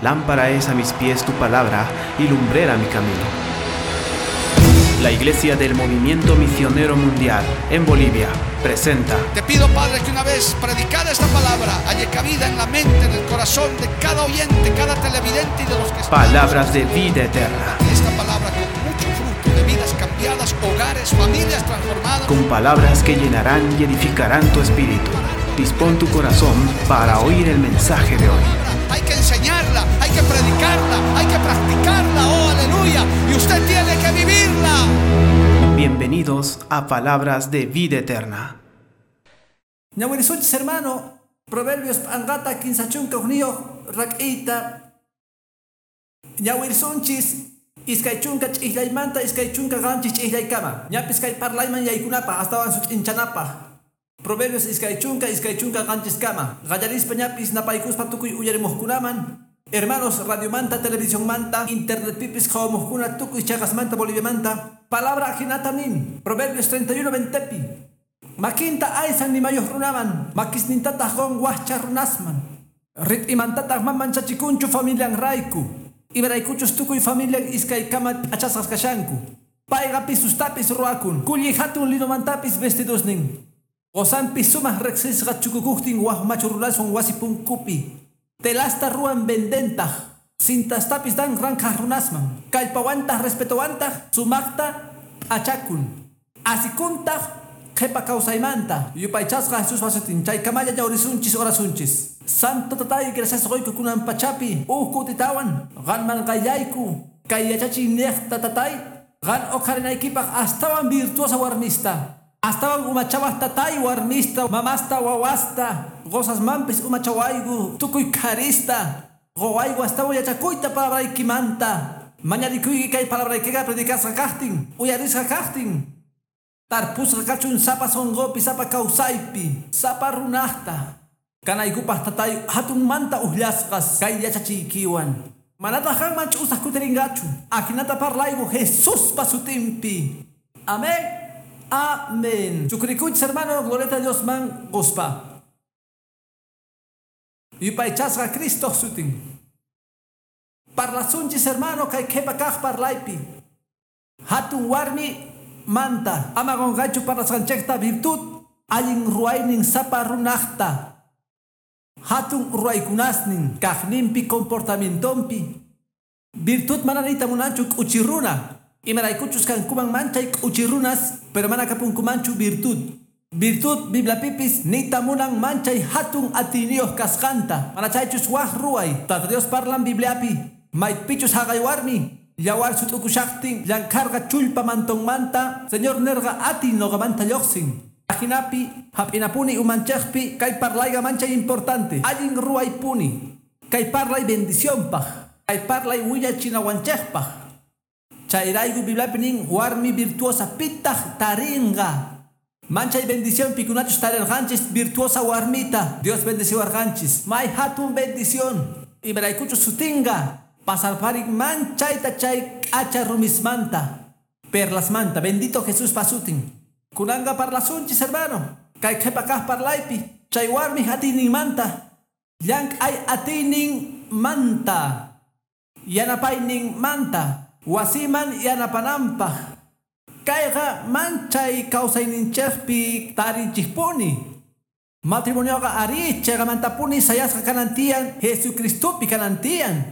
Lámpara es a mis pies tu palabra y lumbrera mi camino. La Iglesia del Movimiento Misionero Mundial en Bolivia presenta. Te pido, Padre, que una vez predicada esta palabra haya cabida en la mente, en el corazón de cada oyente, cada televidente y de los que están. Palabras de vida eterna. Esta palabra con mucho fruto de vidas cambiadas, hogares, familias transformadas. Con palabras que llenarán y edificarán tu espíritu. Dispón tu corazón para oír el mensaje de hoy. Hay que enseñarla, hay que predicarla, hay que practicarla, oh aleluya, y usted tiene que vivirla. Bienvenidos a Palabras de Vida Eterna. Ñawirisunchis hermano, Proverbios p'anqata 31 rak'iyta. Ñawirisunchis 20 ch'ihlaymanta 27 ch'ihlaykama. Ñapis kay parlayman yaykunapaq astawan sut'inchanapaq. Proverbios 27 kama. Qallarispa ñapis napaykuspa tukuy uyarimuqkunaman. Hermanos, radiomanta, televisionmanta, internetpipis qhawamuqkuna tukuy chaqasmanta Boliviamanta. Palabra ajinata nin. Proverbios 31 20pi. Makinta aysan nimayuq runaman, makisnintataq qun waqcha runasman. Rit'imantataq ma manchachikunchu familianrayku. Imaraykuchus tukuy familian iskaykama p'achasqas kashanku. Payqa pisustapis ruwakun, kulli hatun linomantapis vestidosnin. Qosanpis sumaq riqsisqa chukukuqtin waq machu runaswan wasi punkupi. Telasta ruwan vendentaq, cintastapis dan ranqhaq runasman. Kallpawantaq respetowantaq sumaqta p'achakun. Asikuntaq qhipa kawsaymanta. Yupaychasqa Jesuspa sutin chaykamalla ñawrisunchis orasunchis. Santo tatay gracias qoyku kunan pachapi uj kutitawan qanman qayllayku kay yachachiy niqta tatay qan uqharinaykipaq astawan virtuosa warmista. Astawan umachawaq tatay warmista, mamasta wawasta, qosasmanpis umachawayku, tukuy qharista. Qowayku astawan yachakuyta palabraykimanta. Mañarikuyki kay palabraykiqa predicasqa kaqtin, uyarisqa kaqtin. Tarpusqa kachun sapa sunqupi, sapa kawsaypi, sapa runaqta. Kanaykupaq tatay hatunmanta uqllasqas kay yachachiykiwan. Manataq qanman ch'usaq kutirinqachu. Ajinata parlayku Jesuspa sutinpi. Amén. Amén. Chukrikuchis hermano, gloria a Dios man quspa. Yupaychasqa Cristo sutin. Parlasunchis hermano kay qhipa kaq parlaypi. Hatun warmi manta. Ama qunqaychu parlasqanchikta virtud allin ruwaynin sapa runaqta. Hatun ruwaykunasnin kaqninpi comportamientonpi. Virtud mana niyta munanchu k'uchi runa. Imaraykuchus kankuman manchay k'uchi runas, pero mana kapunkumanchu virtud. Virtud Bibliapipis niyta munan manchay hatun atiyniyuq kasqanta. Mana chaychus waq ruway. Tata Dios parlan Bibliapi. Maypichus haqay warmi. Yawar sut'ukushaqtin llankharqa chullpa mantonmanta. Señor nerqa atiy nuqamanta lluqsin. Ajinapi hap'inapuni umanchikpi kay parlayqa manchay importante. Allin ruwaypuni. Kay parlay bendicionpaq. Kay parlay willachinawanchikpaq. Chayrayku Bibliapi nin warmi virtuosa pitaq tarinqa. Manchay bendición pikunachus tarirqanchis virtuosa warmita. Dios bendeciwarqanchis. May hatun bendición. Imaraykuchus sutinqa. Pasarparin manchayta chay k'acha rumismanta. Perlasmanta. Bendito Jesús pasutin. Kunanqa parlasunchis hermano. Kay qhipa kaq parlaypi. Chay warmi atiyninmanta. Llank'ay atiyninmanta. Yanapayninmanta. Wasiman yanapananpaq. Kayqa manchay kawsayninchikpi tarinchikpuni. Matrimonioqa ari chayqamantapuni sayasqa kanan tiyan, Jesucristopi kanan tiyan.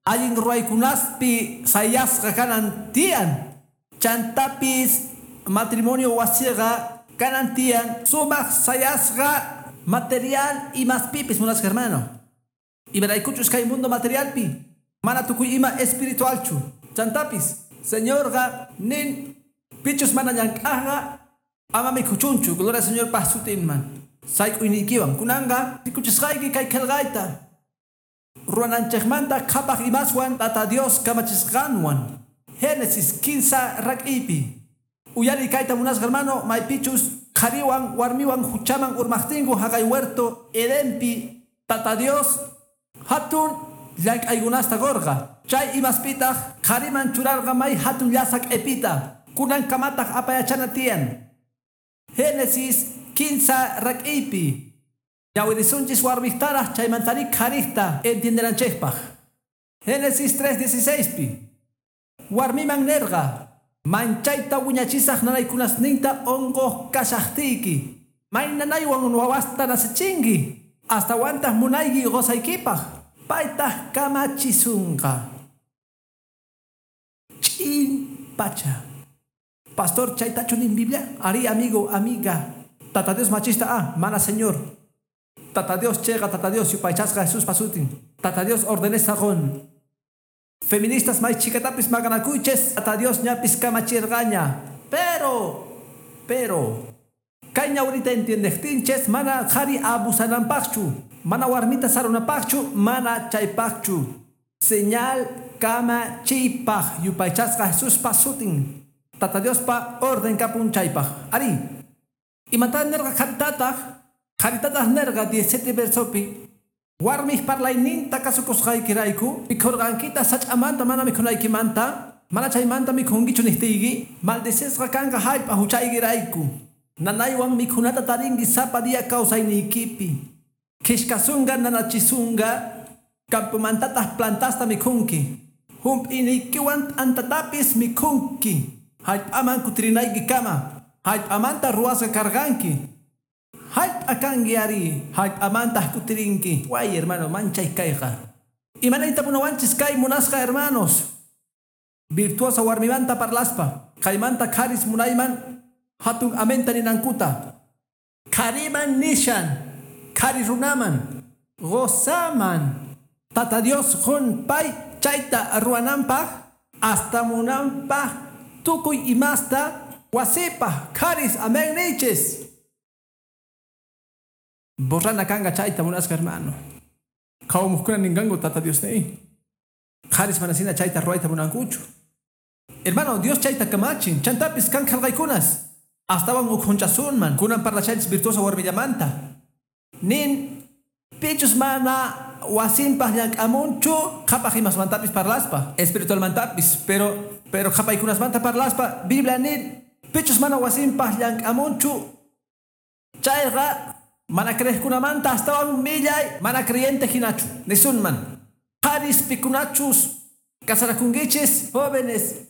Allin ruwaykunaspi sayasqa kanan tiyan. Chantapis matrimonio wasiqa kanan tiyan sumaq sayasqa material imaspipis munasqa hermano. Imaraykuchus kay mundo materialpi mana tukuy ima espiritualchu. Chantapis, Señorqa nin pichus mana llank'aqqa ama mikhuchunchu, gloria al Señor pa sutinman. Sayk'uyniykiwan kunanqa rikuchisqayki kay qillqayta. Ruwananchikmanta qhapaq imaswan Tata Dios kamachisqanwan. Génesis 15 rak'iypi. Uyari kayta munasqa hermano, maypichus qhariwan warmiwan huchaman urmaqtinku haqay huerto Edenpi Tata Dios hatun llank'aykunasta qurqa. Chay imaspitaq qhariman churarqa may hatun llasa q'ipita. Kunankamataq apayachana tiyan. Génesis 15 rak'iypi. Ñawirisunchis warmiktaraq chaymantari qharikta entiendenanchikpaq. Génesis 3:16 pi. Warmiman nerqa, Manchayta wiñachisaj nanaykunasninta onqoj kashajtiyki. May nanaywan wawasta nacechinki. Astawantaj munayki qosaykipaj. Paytaj kamachisunqa. Ch'in pacha. Pastor, chaytachu nin Biblia? Ari, amigo, amiga. Tata Dios machista, ah, mana señor. Tata Dios chega, Tata Dios yupaychasqa Jesús pasutin. Tata Dios ordenesa qon. Feministas may chikatapis maqanakuychis, Tata Dios ñapis kamachirqaña. Pero, kay ñawrita entiendejtinchis mana qhari abusananpaqchu, mana warmita sarunapaqchu, mana chaypaqchu. Señal kamachiypaq yupaychasqa Jesús pasutin. Tata Diospa orden kapun chaypaq. Ari, imata nerqa qharitataq? Qharitataq nerqa 17 versopi. Warmij parlayninta kasukusqaykirayku, mikhurqankita sach'amanta mana mikhunaykimanta, mana chaymanta mikhunkichu niqtiyki, maldecisqa kanqa hallp'a huchaykirayku. Nanaywan mikhunata tarinki sapa día kawsayniykipi. Khishkasunqa nanachisunqa, campomantataq plantasta mikhunki. Hump'iniykiwan t'antatapis mikhunki. Hallp'aman kutirinaykikama, hallp'amanta ruwasqa karqanki. Hallp'a kanki ari, hallp'amantaq kutirinki. Way, hermano, manchay kayqa. Imanayta munawanchis kay munasqa, hermanos. Virtuosa warmimanta parlaspa, kaymanta qharis munayman hatun amenta ninankuta. Qhariman nishan, qhari runaman, gozaman. Tata Dios qun pay chayta ruwananpaq, hasta munanpaq, tukuy imasta, wasipaq, qharis amén nichis. Borrana kanga chayta munasqa, hermano. Qhawamukuna ninqanku Tata Dios nei. Qharis manasina chayta ruwayta munankuchu. Hermano, Dios chayta kamachin, chantapis kan qhalqaykunas. Astawan ukhunchasunman, kunan parlachaychis virtuosa warmillamanta. Nin pichus mana wasinpaq llank'amunchu, qhapaq imasmantapis parlaspa, espiritualmantapis, pero qhapaykunasmanta parlaspa, Biblia nin pichus mana wasinpaq llank'amunchu, chayqa mana creejkunamanta astawan millay, mana creyente hinachu. Nisunman, qharis pikunachus casarakunkichis, jóvenes.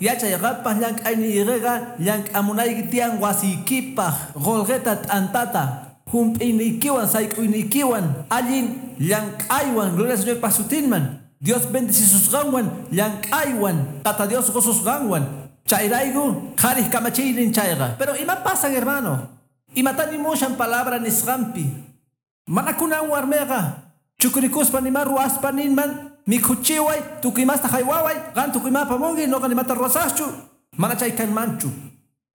Yachay qanpaq llank'ayniykiqa llank'amunayki tiyan wasiykipaq, qullqita t'antata, hump'iniykiwan sayk'uyniykiwan, allin llank'aywan, gloria al Señor pasutinman. Dios bendecisusqanwan, llank'aywan, Tata Dios qususqanwan. Chayrayku qharij kamachiynin chayqa. Pero ima pasan, hermano? Imatani mushan palabra nisqanpi. Mana kunan warmiqa chukrikuspa nima ruwaspa ninman, mikhuchiway, tukuy imasta haywaway, qan tukuy ima apamunki, noqa nimata ruwasaqchu. Mana chay kanmanchu.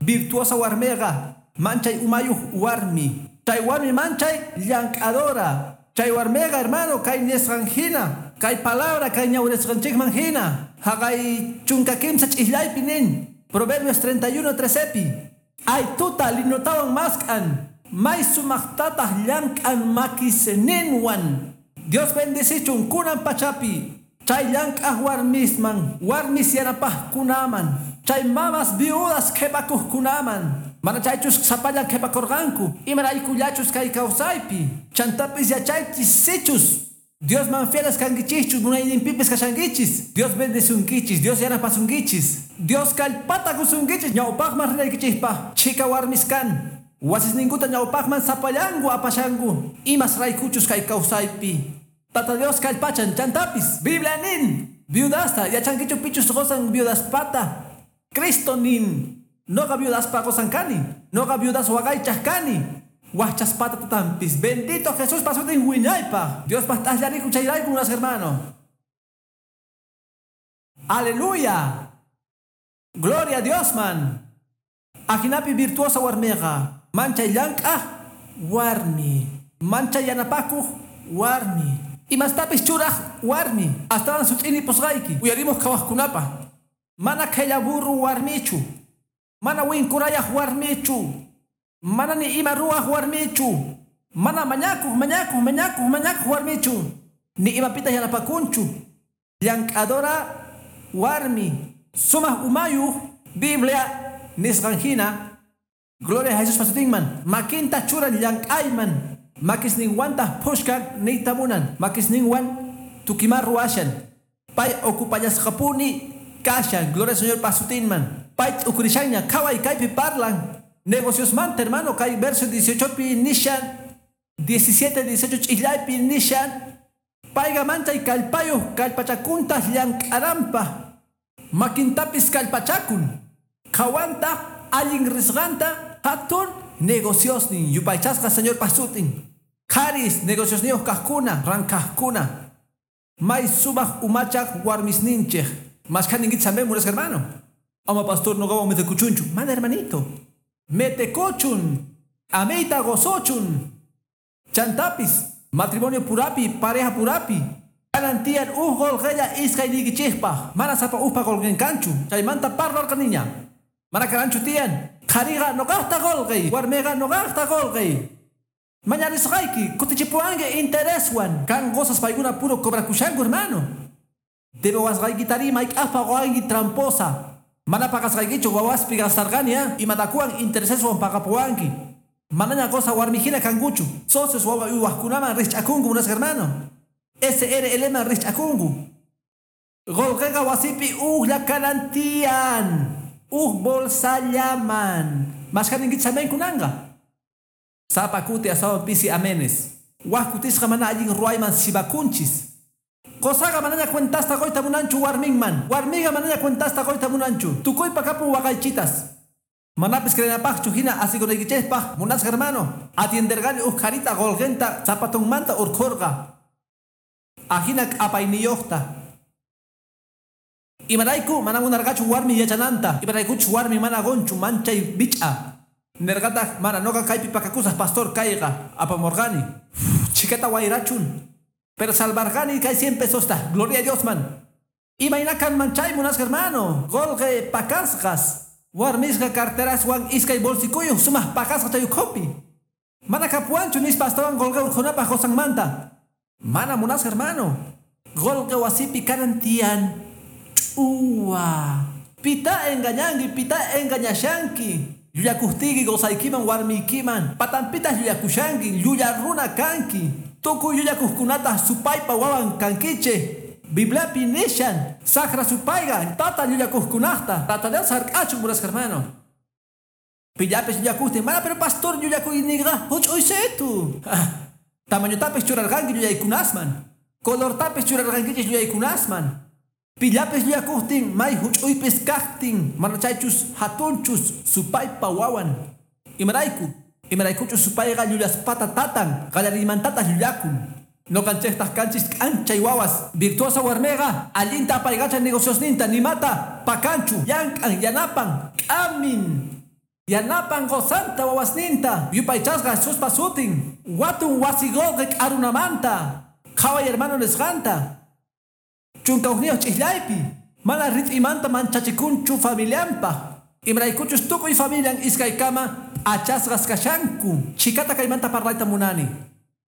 Virtuosa warmiqa, manchay umayuq warmi. Chay warmi manchay llank'adora. Chay warmiqa, hermano, kay nisqan hina, kay palabra kay ñawrisqanchikman hina. Haqay chunka kimsa ch'islaypi nin. Proverbios 31:13pi. Ay tuta linotawan mask'an, may sumaqtataq llank'an makisninwan. Dios bendecichun kunan pachapi. Chay llank'aq warmisman, warmis yanapaqkunaman, chay mamas viudas qhipakuqkunaman. Mana chaychus sapallan qhipakurqanku, imaraykullachus kay kawsaypi. Chantapis yachaychis sichus Diosman fieles kankichischus, munayninpipis kashankichis. Dios bendesunkichis, Dios yanapasunkichis. Dios kallpata qusunkichis ñawpaqman rinaykichispaq. Chhika warmis kan. Wasisninkuta ñawpaqman sapallanku apashanku. Imas raykuchus kay kawsaypi. Tata Dios kallpachan chantapis. Biblia nin. Viudasta, yachankichu pichus qosan viudaspata. Cristo nin. Noqa viudaspa qosan kani. Noqa viudas waqaychaq kani. Wajchaspata tatampis. Bendito Jesús pasutin wiñaypaq. Dios t'aqllariku chayrayku, unas hermano. Aleluya. Gloria a Dios man. Ajinapi virtuosa warmiqa. Manchay llank'aq warmi. Manchay yanapakuq warmi. Imastapis churaq warmi. Astawan sut'ini pusqayki. Uyarimoj qhawaqkunapaq. Mana qhella burru warmichu. Mana winkurayaq warmichu. Mana ni ima ruwaq warmichu. Mana mañakuq, mañakuq, mañakuq, mañakuq warmichu. Ni imapita yanapakunchu. Llank'adora warmi. Sumaq umayuq Biblia nisqan hina. Gloria a Jesús pasutinman. Makinta churan llank'ayman. Makisninwantaq phushkan niyta munan. Makisninwan Tukimar ruashan. Pay ocupallasqapuni kashan. Gloria al Señor pasutinman. Pay ukurishaña kaway kaypi parlan. Negocios manta hermano kay verso 18 pi nishan. 17 18 ch'illaypi nishan. Payqa manchay kallpayuq kallpachakunta llank'aranpa. Makintapis kallpachakun. Qhawanta allin risqanta hatun negociosnin yupaychasqa Señor pasutin. Qharis negociosniyuq kaqkuna rankaqkuna. May sumaq umachaq warmisninchik. Mashkhaninkichis amén munasqa hermano. Ama pastor noqawan metekuchunchu. Mana hermanito. Metekuchun. Ameyta gozochun. Chantapis. Matrimonio purapi, pareja purapi. Kanan tiyan uj qolqella iskayniykichikpaq. Mana sapa ujpa qolqen kanchu. Chaymanta parlarqaniña. Mana kananchu tiyan. Qhariqa noqaqta qolqey. Warmiqa noqaqta qolqey. Mañarisqayki kutichipuwanki intereswan. Kan qosas paykuna puro cobrakushanku hermano. Debewasqaykitari mayk'aqpa qowanki tramposa. Mana paqasqaykichu wawaspi gastarqani imatakuwan intereseswan paqapuwanki. Manaña qosa warmijina kankuchu. Socios wawa uywaqkunaman rikch'akunku munasqa hermano. SRL man rikch'akunku. Qolqeqa wasipi ujlla kanan tiyan. Uj bolsallaman. Mashkhaninkichis amén kunanqa. Sapa kuti astawan pisi amenes. Waj kutisqa mana allin ruwayman sibakunchis. Qosaqa manaña cuentasta qoyta munanchu warminman. Warmiqa manaña cuentasta qoyta munanchu. Tukuypa kapun waqaychitas. Manapis creenapaqchu hina asikunaykichikpaq munasqa hermano. Atienderqani uj qharita qolqenta zapatonmanta urqhurqa. Ajina k'apayniyuqta. Imarayku mana munarqachu warmi yachananta. Imaraykuchu warmi mana qunchu manchay bich'a. Nerqataq mana noqa kaypi pakakusaq pastor kayqa apamurqani. Chikata wayrachun. Pero salvarqani kay 100 pesosta. Gloria a Dios man. Imayna kanman chay munasqa hermano. Qolqe pakasqas. Warmisqa carteraswan iskay bolsikuyuq sumaq pakasqa chay ukhupi. Mana kapuwanchu nispa astawan qolqe urqhunapaq qosanmanta. Mana munasqa hermano. Qolqe wasipi kanan tiyan. Ch'uwa. Pita engañanki, pita engañashanki. Llullakuqtiyki qosaykiman warmiykiman. Patanpitaq llullakushanki, llulla runa kanki. Tukuy llullakuqkunataq supaypa wawan kankichik. Bibliapi nishan, saqra supayqa tata llullakuqkunaqta. Tata Dios hark'achun munasqa hermano. Pillapis llullakuqtin, mana pero pastor llullakuyninqa huch'uysitu. Tamañotapis churarqanki llullaykunasman. Colortapis churarqankichis llullaykunasman. Pillapis llullakuqtin may huch'uypis kaqtin mana chaychus hatunchus supaypa wawan. Imarayku, imaraykuchus supayqa llullaspata tatan, qallariymantataq llullakun. Noqanchiktaq kanchis k'anchay wawas. Virtuosa warmiqa allinta apaykachan negociosninta nimata pakanchu, llank'an, yanapan, k'amin. Yanapan qosanta wawasninta, yupaychasqa Jesuspa sutin. Watun wasi qolqe k'arunamanta. Qhaway hermano nisqanta. Chunka hukniyuq ch'illaypi. Mana rit'imanta manchachikunchu familianpaq. Imaraykuchus tukuy familian iskaykama p'achasqas kashanku. Chhikata kaymanta parlayta munani.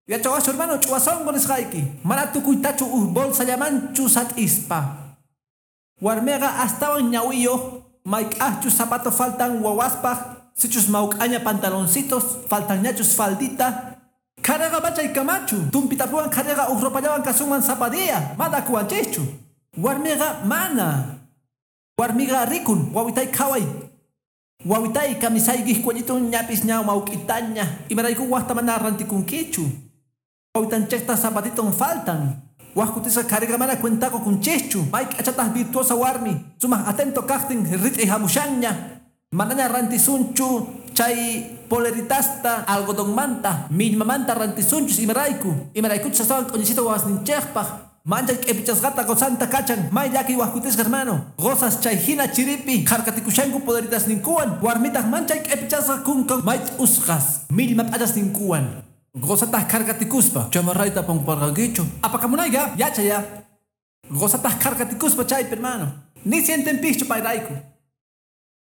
Yachawaschu hermano ch'uwasonqo nisqayki. Mana tukuytachu uj bolsallamanchu sat'ispa. Warmiqa astawan ñawiyuq mayk'aqchus zapato faltan wawaspaq, sichus mawk'aña pantaloncitos, faltanñachus faldita. Qhariqa machaykamachu. Tumpitapuwan qhariqa uj ropallawan kasunman sapa día. Mana kuwanchischu. Warmiqa mana. Warmiqa rikun wawitay qhaway. Wawitay kamisaykiq cuellitun ñapis ña mawk'itaña. Imarayku waqta mana rantikunkichu. Wawitanchikta zapatiton faltan. Waj kutisqa qhariqa mana cuentaqa kunchischu. May k'achataq virtuosa warmi. Sumaq atento kaqtin rit'i hamushanña. Manaña rantisunchu chay poleritasta algodonmanta, millmamanta rantisunchus imarayku. Imaraykuchus astawan q'uñisita wawasninchikpaq. Manchay k'ipichasqata qosanta kachan. May llakiy waj kutisqa hermano. Qosas chay hina chiripi harkatikushanku poleritasninkuwan. Warmitaq manchay k'ipichasqa kunkan may usqas millma p'achasninkuwan. Qosataq harkatikuspa chamarrayta pamparqankichu. Apakamunayqa yachaya. Qosataq harkatikuspa chaypi hermano. Ni sientenpischu payrayku.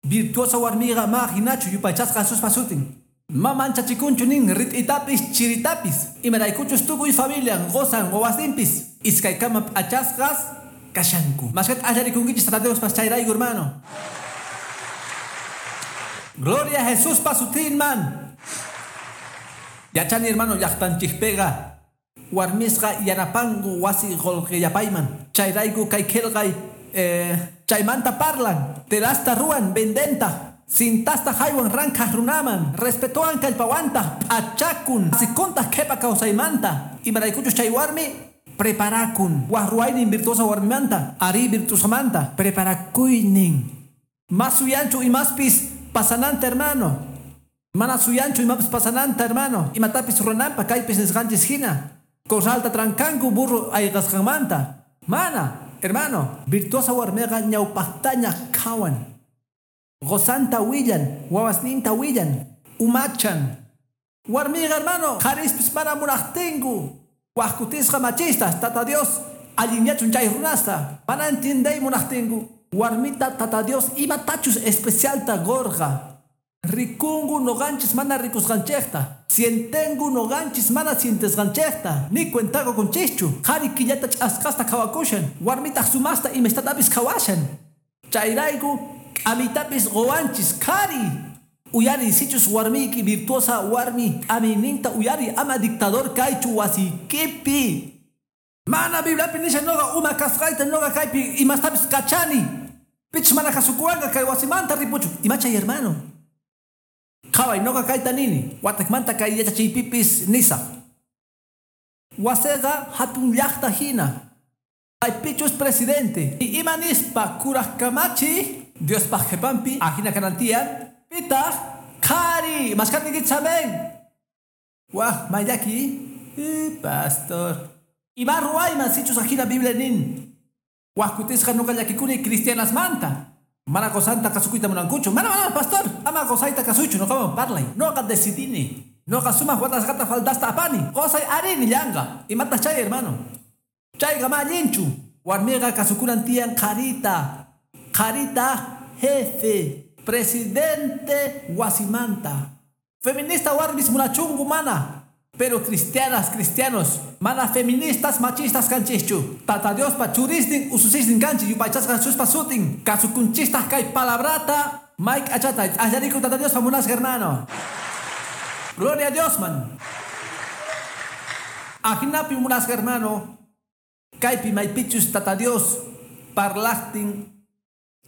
Virtuosa warmiqa ma hinachu yupaychasqa Jesuspa sutin. Ma manchachikunchu nin rit'itapis chiritapis. Imaraykuchus tukuy familian qosan wawasninpis iskaykama p'achasqas kashanku. Mashkata allarikunkichis Tata Diospas chayrayku hermano. Gloria a Jesuspa sutinman. Yachani hermano llaqtanchikpiqa Warmisqa yanapanku wasi qolqe yapayman. Chayrayku kay qhelqay chaymanta parlan. Telasta ruwan, vendentaq. Cintasta jaywan ranqhaj runaman. Respetowan kallpawantaq p'achakun. Asikuntaq qhepa kawsaymanta. Imaraykuchus chay warmi preparakun. Waj ruwaynin virtuosa warmimanta. Arí, virtuosamanta. Preparakuynin. Mas suyanchu imaspis pasananta, hermano. Mana suyanchu imapis pasananta, hermano. Imatapis rurananpa kaypis nisqanchis hina. Corralta trankanku burro ayqasqanmanta. Mana, hermano. Virtuosa warmiqa ñawpaqtaña qhawan. Qosanta willan, wawasninta willan, umachan. Warmiqa, hermano, qharispis mana munaqtinku. Waj kutisqa machistas, Tata Dios, allinyachun chay runasta. Mana entiendey munaqtinku. Warmita Tata Dios imatachus especialta qurqa. Rikunku noqanchis mana rikusqanchikta. Sientenku noqanchis mana sientesqanchikta. Ni cuenta qukunchischu. Qhari killata ch'askasta qhawakushan. Warmitaq sumaqta imastatapis qhawashan. Chayrayku k'amitapis quwanchis qhari. Uyari sichus warmiyki virtuosa warmi k'amiyninta uyari ama dictador kaychu wasiykipi. Mana Bibliapi nishan noqa uma kasqayta noqa kaypi imastapis kachani. Pichus mana kasukuwanqa kay wasimanta ripuchu. Imachay, hermano. Qhaway noqa kayta nini. Watakmanta kay yachachiypipis nisaq. Waseqa hatun llaqta hina. Maypichus presidente. Ima nispa kuraj kamachi Diospaj qhipanpi ajina kanan tiyan. Pitaq qhari mashkhatiykichis amén. Waj mayllaki. Pastor. Ima ruwayman sichus ajina Biblia nin. Waj kutisqa noqa llakikuni cristianasmanta. Mana qosanta kasukuyta munankuchu. Mana, mana, pastor. Ama qosayta kasuychu noqawan parlay. Noqa decidini. Noqa sumaq watasqata faldasta apani. Qosay ari nillanqa. Imataq chay, hermano? Chayqa ma allinchu. Warmiqa kasukunan tiyan qharita. Qharita jefe. Presidente wasimanta. Feminista warmis munachunku mana. Pero cristianas, cristianos, mana feministas, machistas kanchischu. Tata Diospa churisnin, ususisnin kanchis, yupaychasqa Jesuspa sutin. Kasukunchistaq kay palabrata. Mike achata, allariku Tata Diospa munasqa, hermano. Gloria a Dios, man. Ajinapi munasqa, hermano. Kaypi maypichus Tata Dios parlaqtin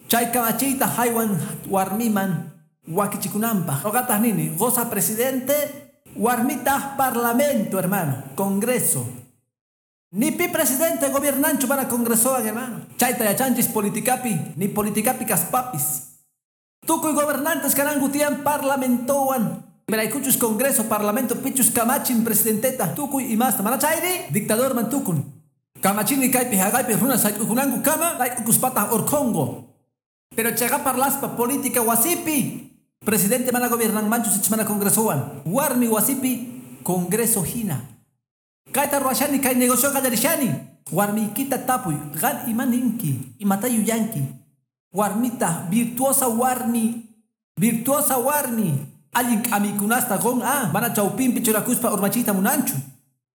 chay kamachiyta haywan warmiman wakichikunanpaq. Noqataq nini, qosa presidente, warmitaq parlamento, hermano, congreso. Ni pi presidente gobiernanchu para congresowan, hermano. Chayta yachanchis politikapi, ni politikapi kaspapis. Tukuy gobernantes kananku tiyan parlamentowan. Imaraykuchus congreso, parlamento pichus kamachin presidenteta, tukuy imasta. Mana chayri, dictador man tukun. Kamachini kaypi haqaypi runa sayk'ukunanku kama, sayk'ukuspataq urqhunku. Pero chayqa parlaspa política wasipi. Presidente mana gobiernanmanchu sichus mana congresowan. Warmi wasipi congreso hina. Kayta ruwashani kay negocio qallarishani. Warmiykita tapuy, qan ima ninki, imata yuyanki. Warmita, virtuosa warmi, virtuosa warmi. Allin k'amikunasta qun a, mana chawpinpi churakuspa urmachiyta munanchu.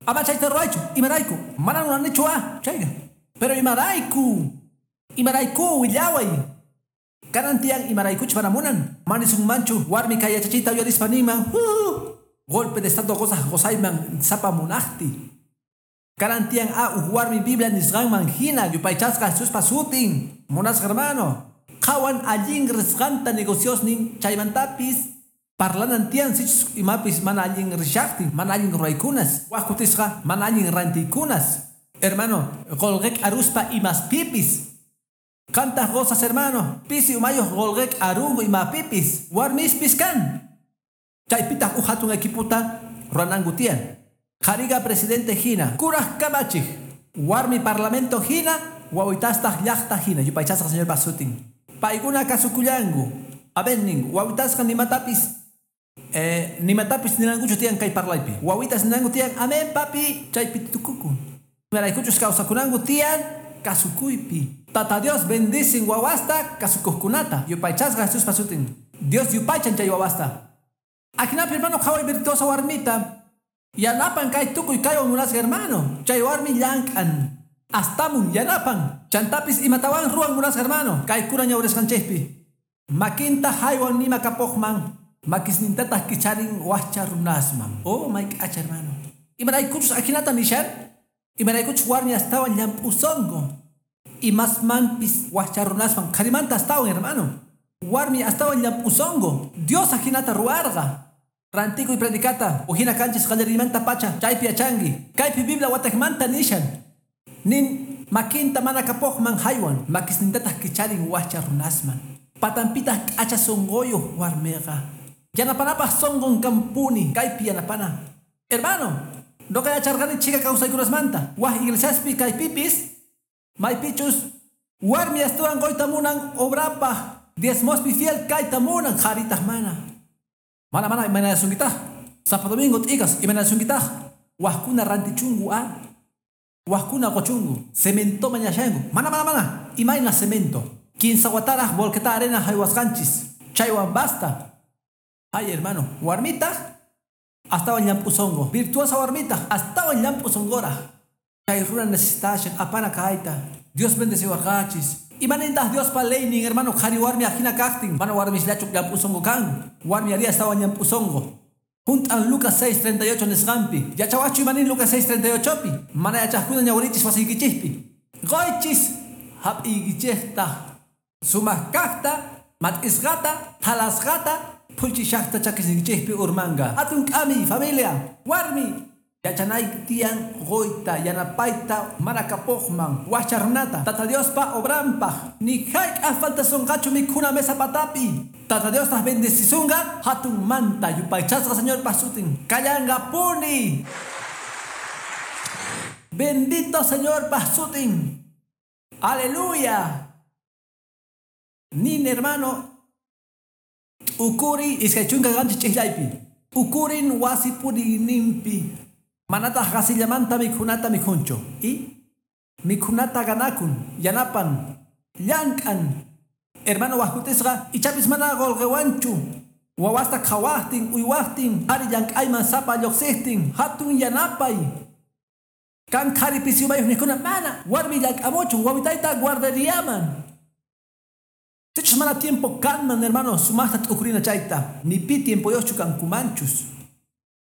Ama chayta ruwaychu, imarayku, mana munanichu a, chayqa. Pero imarayku, imarayku willaway. Kanan tiyan imaraykuch mana munan. Manisunmanchu warmi kay yachachiyta uyarispa ninman, golpe de estado qosaq qosayman sapa munaqti. Kanan tiyan a uj warmi Biblia nisqanman hina yupaychasqa Jesuspa sutin. Munasqa, hermano. Qhawan allin risqanta negociosnin chaymantapis parlanan tiyan sichus imapis mana allin rishaqtin, mana allin ruwaykunas, waj kutisqa mana allin rantiykunas. Hermano, qolqek aruspa imaspipis. Qantaq qosas, hermano, pisi umayuq qolqek arunku imapipis, warmispis kan. Chaypitaq uj hatun equipota ruwananku tiyan. Qhariqa presidente hina, kuraj kamachij, warmi parlamento hina, wawitastaq llaqta hina, yupaychasqa Señorpa sutin. Paykuna kasukullanku. Amén ninku, wawitasqa nimatapis ninankuchu tiyan kay parlaypi. Wawitas ninanku tiyan, amén papi, chaypi tukukun. Imaraykuchus kawsakunanku tiyan kasukuypi. Tata Dios bendicin wawasta kasukuqkunata. Yupaychasqa Jesuspa sutin. Dios yupaychan chay wawasta. Ajinapi, hermano, qhaway virtuosa warmita. Yanapan kay tukuy kaywan munasqa, hermano. Chay warmi llank'an. Astamun yanapan. Chantapis imatawan ruwan munasqa, hermano. Kaykuna ñawrisqanchikpi. Makinta haywan nima kapuqman. Makisnintataq kicharin wajcha runasman. Oh, may k'acha, hermano. Imaraykuchus ajinata nishan? Imaraykuchus warmi astawan llamp'usonqo. Imasmanpis wajcha runasman qharimanta astawan, hermano. Warmi astawan llamp'usonqo. Dios ajinata ruwarqa. Rantikuy predicata, ujina kanchis qallariymanta pacha, chaypi yachanki. Kaypi Biblia wateqmanta nishan. Nin makinta mana kapuqman haywan, makisnintataq kicharin wajcha runasman. Patampitaq k'acha sunquyuq warmiqa. Yanapanapaq sunqun kampuni, kaypi yanapana. Hermano, noqa yacharqani chhika kawsaykunasmanta. Waj iglesiaspi kaypipis, maypichus warmi astawan quyta munan obrapaq, diezmospi fiel kayta munan, qharitaq mana. Mana mana imaynasunkitaq. Sapa domingo t'ikas imaynasunkitaq. Wajkuna rantichunku a. Wajkuna quchunku. Cemento mañashanku. Mana mana mana. Imayna cemento. Kinsa wataraq volqueta arena haywasqanchis. Chaywan basta. Ay, hermano, warmitaq astawan llamp'usonqo. Virtuosa warmitaq astawan llamp'usonqoraq. Chay runa necesitashan apana kayta. Dios bendeciwarqachis. Imanintaq Diospa leynin, hermano, qhari warmi ajina kaqtin. Mana warmisllachu llamp'usonqo kan. Warmi ari astawan llamp'usonqo. Junt'an Lucas 6:38 nisqanpi. Yachawaqchu imanin Lucas 6:38pi. Mana yachaqkuna ñawirichis wasiykichikpi. Quychis hap'iykichikta. Sumaq kaqta, mat'isqata, thalasqata, phullchishaqta chakisniykichikpi urmanqa. Hatun k'ami, familia, warmi. Yachanayki tiyan quyta, yanapayta, mana kapuqman, wajcha runata, Tata Diospa obranpaq. Ni hayk'aq faltasunqachu mikhuna mesa patapi. Tata Diostaq bendecisunqa hatun manta yupaychasqa Señorpa sutin. Kallanqapuni. Bendito Señorpa sutin. Aleluya. Nin hermano, ukuri iskay chunka qanchis ch'ijllaypi. Ukurin wasi puriyninpi. Manataq qasillamanta mikhunata mikhunchu. Y mikhunata ganakun, yanapan, llank'an. Hermano wajkutisqa ichapis mana qulqiwanchu. Wawasta qhawaqtin, uywaqtin, qhari llank'ayman sapa lluqsiqtin, hatun yanapay. Kan qhari pisi umayuq niqkuna mana warmi llank'amuchun wawitayta guarderiaman. Sichus mana tiempo kanman, hermano, sumaqta t'ukurina chayta. Ni pi tiempoyuqchu kankumanchus.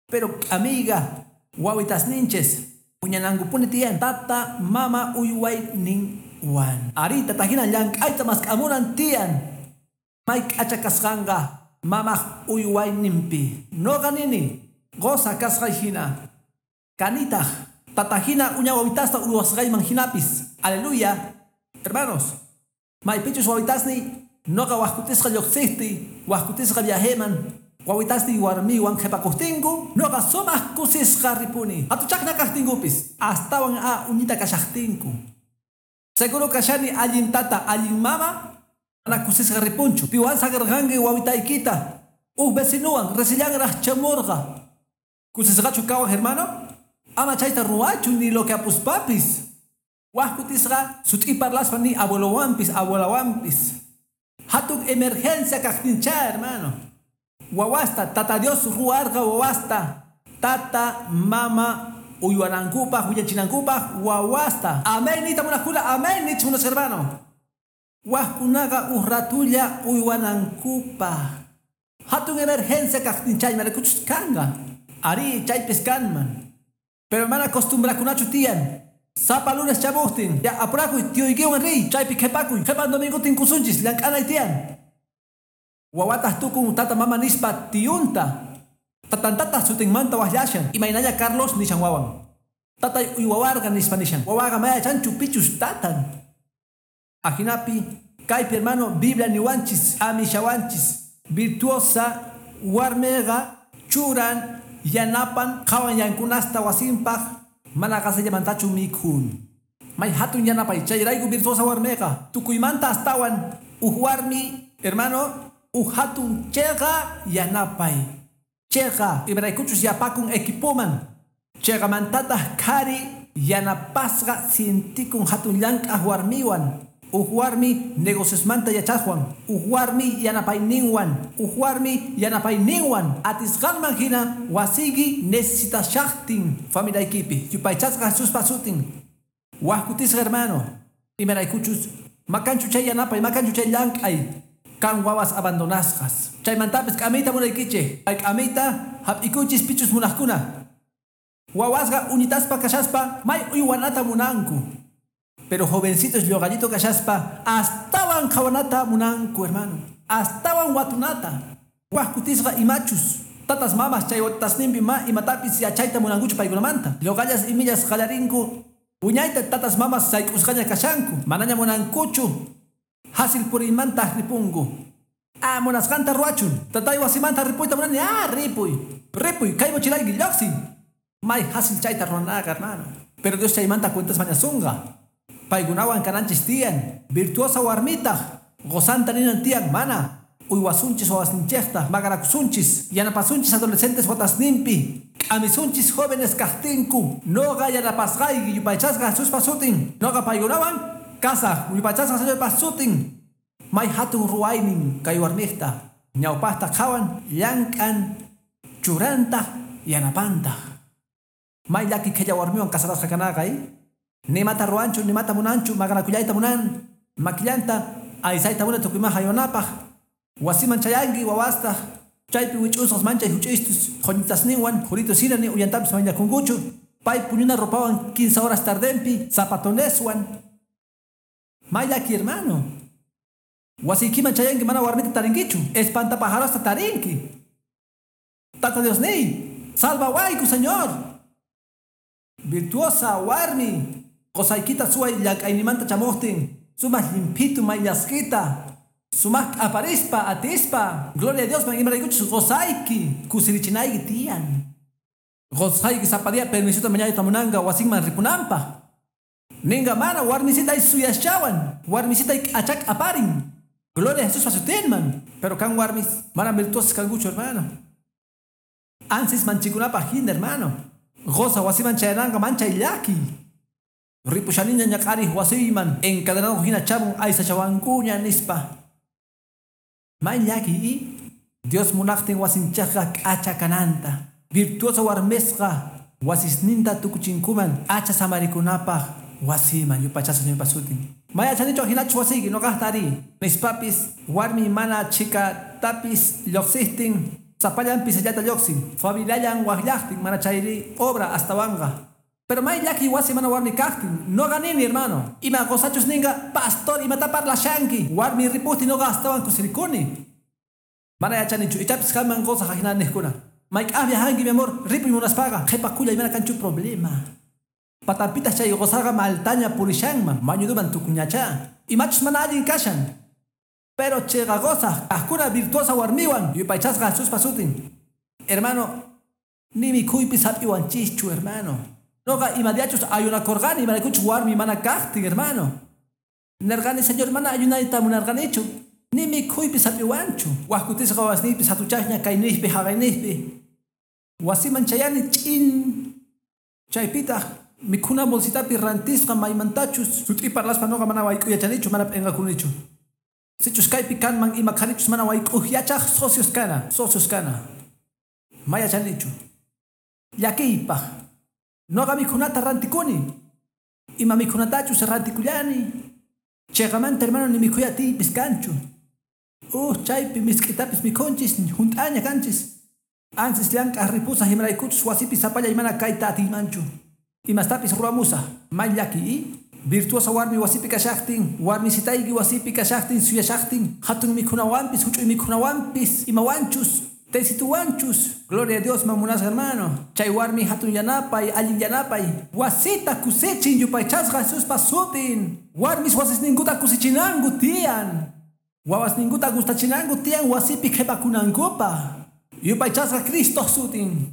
Pero amiga, wawitasninchis puñanankupuni tiyan tata mama uywayninwan. Ari tatahina llank'ayta mask'amunan tiyan. May k'acha kasqanqa mamaq uywayninpi. Noqa nini qusa kasqay hina. Kanitaq tatahina uña wawitasta uywasqayman hinapis. Aleluya. Hermanos, maypichus wawitasniy noqa wajkutisqa lluqsiqtiy, wajkutisqa viajeman. Wawitasniy warmiwan qhipakuqtinku, noqa sumaq kusisqa ripuni. Hatuchaqna kaqtinkupis, astawan a uñita kashaqtinku. Seguro kashani allin tata, allin mama, mana kusisqa ripunchu. Piwan saqirqanki wawitaykita. Uj vecinuwan resillanraq chamurqa. Kusisqachu kawaq, hermano? Ama chayta ruwachu ni lo que apuspapis. Wajkutisqa sut'i parlaspa ni abuelowanpis, abuelawanpis. Hatun emergencia kaqtincha, hermano. Wawasta, tata Dios ruwarqa wawasta. Tata, mama, uywanankupaq, willachinankupaq, wawasta. Amén, nita munaqkuna, amén, nichmunos, hermano. Wajkunaqa uj ratulla uywanankupaq. Hatun emergencia kaqtinchay, maraykuchus kanqa. Ari, chaypis kanman. Pero mana acostumbrakunachu tiyan. Sapa lunes chamuqtin, ya apurakuy, tiyuykiwan riy, chaypi qhipakuy, qhipan domingo tinkusunchis, llank'anay tiyan. Wawataq tukun tata mama nispa tiyunta. Tatantataq sutinmanta waqllashan. Imaynalla Carlos nishan wawan. Tatay uywawarqa nispa nishan. Wawaqa maya yachanchu pichus tatan. Ajinapi, kaypi hermano, Biblia niwanchis, amishawanchis. Virtuosa warmiqa churan, yanapan, qhawan yankunasta wasinpaq, mana qasillamantachu mikhun. May hatun yanapay, chayrayku virtuosa warmiqa. Tukuymanta astawan uj warmi, hermano, uj hatun cheqa yanapay. Cheqa, imaraykuchus yapakun equipoman. Cheqamantataq qhari yanapasqa sientikun hatun llank'aq warmiwan. Uj warmi negociosmanta yachaqwan. Uj warmi yanapayninwan. Uj warmi yanapayninwan. Atisqanman hina wasiyki necesitashaqtin familiaykipi. Yupaychasqa Jesuspa sutin. Wajkutisqa, hermano. Imaraykuchus makanchu chay yanapay, makanchu chay llank'ay. Kan wawas abandonasqas. Chaymantapis k'amiyta munaykichik. Kay k'amiyta hap'ikuchis pichus munaqkuna. Wawasqa uñitaspa kashaspa may uywanata munanku. Pero jovencitos lluqallito kashaspa astawan qhawanata munanku, hermano. Astawan watunata. Waj kutisqa imachus. Tatas mamas chay watasninpi ma imatapis yachayta munankuchu paykunamanta. Lluqallas imillas qallarinku wiñayta tatas mamas sayk'usqaña kashanku. Manaña munankuchu. Hasil puriymanta ripunku. Ah, munasqanta ruwachun. Tatay wasimanta ripuyta munani. Ah, ripuy. Ripuy, kay mochilayki lluqsin. May hasil chayta ruwanaqa, hermano. Pero Dios chaymanta cuentas mañasunqa. Paykunawan kananchis tiyan. Virtuosa warmitaq. Qusanta ninan tiyan mana. Uywasunchis wawasninchikta, maqanakusunchis, yanapasunchis adolescentes watasninpi, k'amisunchis jóvenes kaqtinku, noqa yanapasqayki yupaychasqa Jesuspa sutin, noqa paykunawan kasaq yupaychasqa Señorpa sutin. May hatun ruwaynin kay warmiqta, ñawpaqta qhawan, llank'an, churantaq, yanapantaq. May llaki qhilla warmiwan casarasqa kanaqa, Nimata ruwanchu, nimata munanchu, maqanakullayta munan, makillanta aysayta munan tukuyman haywanapaq. Wasiman chayanki wawastaq chaypi wich'usqas manchay huch'istus qhuñitasninwan juritus hina ni uyantapis mayllakunkuchu pay puñuna ropawan 15 horas tardenpi zapatoneswan. May llaki, hermano. Wasiykiman chayanki mana warmita tarinkichu, espantapajarosta tarinki. Tata Dios niy, salvawayku, Señor. Virtuosa warmi, qosaykita suway llank'aynimanta chamuqtin, sumaq llimphitu mayllasqita. Sumaq aparispa, atispa. Gloria a Dios, man imaraykuchus qosayki, kusirichinayki tiyan. Qosayki sapa día permisota mañayta munanqa wasinman ripunanpaq. Ninga mana warmisitay suyaschawan, warmisitay k'achak aparin. Gloria a Jesús pasutinman. Pero kan warmis mana virtuosas kankuchu, hermano. Ansis manchikunapaq hina, hermano. Goza wasiman chayananqa manchay llaki. Ripushaniña ñak'ariq wasiyman encadenado hina chamun aysachawankuña nispa. May llaki Dios munaqtin wasinchaqqa k'acha kananta. Virtuosa warmisqa wasisninta tukuchinkuman acha samarikunapaq wasiman yupaychasqa Señorpa sutin. May achanichu hinachu wasiyki noqaqta ari. Nispapis warmi mana chhikatapis lluqsijtin sapallan pisillata lluqsin. Familiallan waqllaqtin mana chayri obra astawanqa. Pero may llaki wasi mana warmi kaqtin. Noqa nini, hermano. Ima qosachus ninqa pastor imata parlashanki. Warmi ripuqtin noqa astawan kusirikuni. Mana yachanichu ichapis qanman qosaq ajina niqkuna. Mayk'aq viajanki, mi amor, ripuy munaspaqa qhipakullay mana kanchu problema. Patampitaq chay qosaqa maltaña purishanman mañuduman tukuñacha. Imachus mana allin kashan. Pero chayqa qosaq kaqkuna virtuosa warmiwan yupaychasqa Jesuspa sutin. Hermano, ni mikhuypis hap'iwanchischu, hermano. Noqa imadiachus ayunakurqani imaraykuchus warmi mana kaqtin, hermano. Nerqani, Señor, mana ayunayta munarqanichu. Ni mikhuypis hap'iwanchu. Waj kutisqa wawasniypis hatuchaqña kayniypi haqayniypi. Wasiman chayani ch'in. Chaypitaq mikhuna bolsitapi rantisqa maymantachus. Sut'i parlaspa noqa mana wayk'uy yachanichu, mana p'inqakunichu. Sichus kaypi kanman ima qharichus mana wayk'uq yachaq socios kana, socios kana. Ma yachanichu. Llakiypaq. Noqa mikhunata rantikuni. Ima mikhunatachus rantikullani. Chayqamanta, hermano, ni mikhuy atiypis kanchu. Chaypi misk'itapis mikhunchis, hunt'aña kanchis. Ansis llank'aq ripusaq imaraykuchus wasipi sapallay mana kayta atiymanchu. Imastapis ruwamusaq. May llaki, Virtuosa warmi wasipi kashaqtin, warmisitayki wasipi kashaqtin, suyashaqtin, hatun mikhunawanpis, huch'uy mikhunawanpis, imawanchus, tecituwanchus. Gloria a Dios, mamunasqa, hermano. Chay warmi hatun yanapay, allin yanapay. Wasita kusichin yupaychasqa Jesuspa sutin. Warmis wasisninkuta kusichinanku tiyan. Wawasninkuta gustachinanku tiyan wasipi qhipakunankupaq. Yupaychasqa Cristo sutin.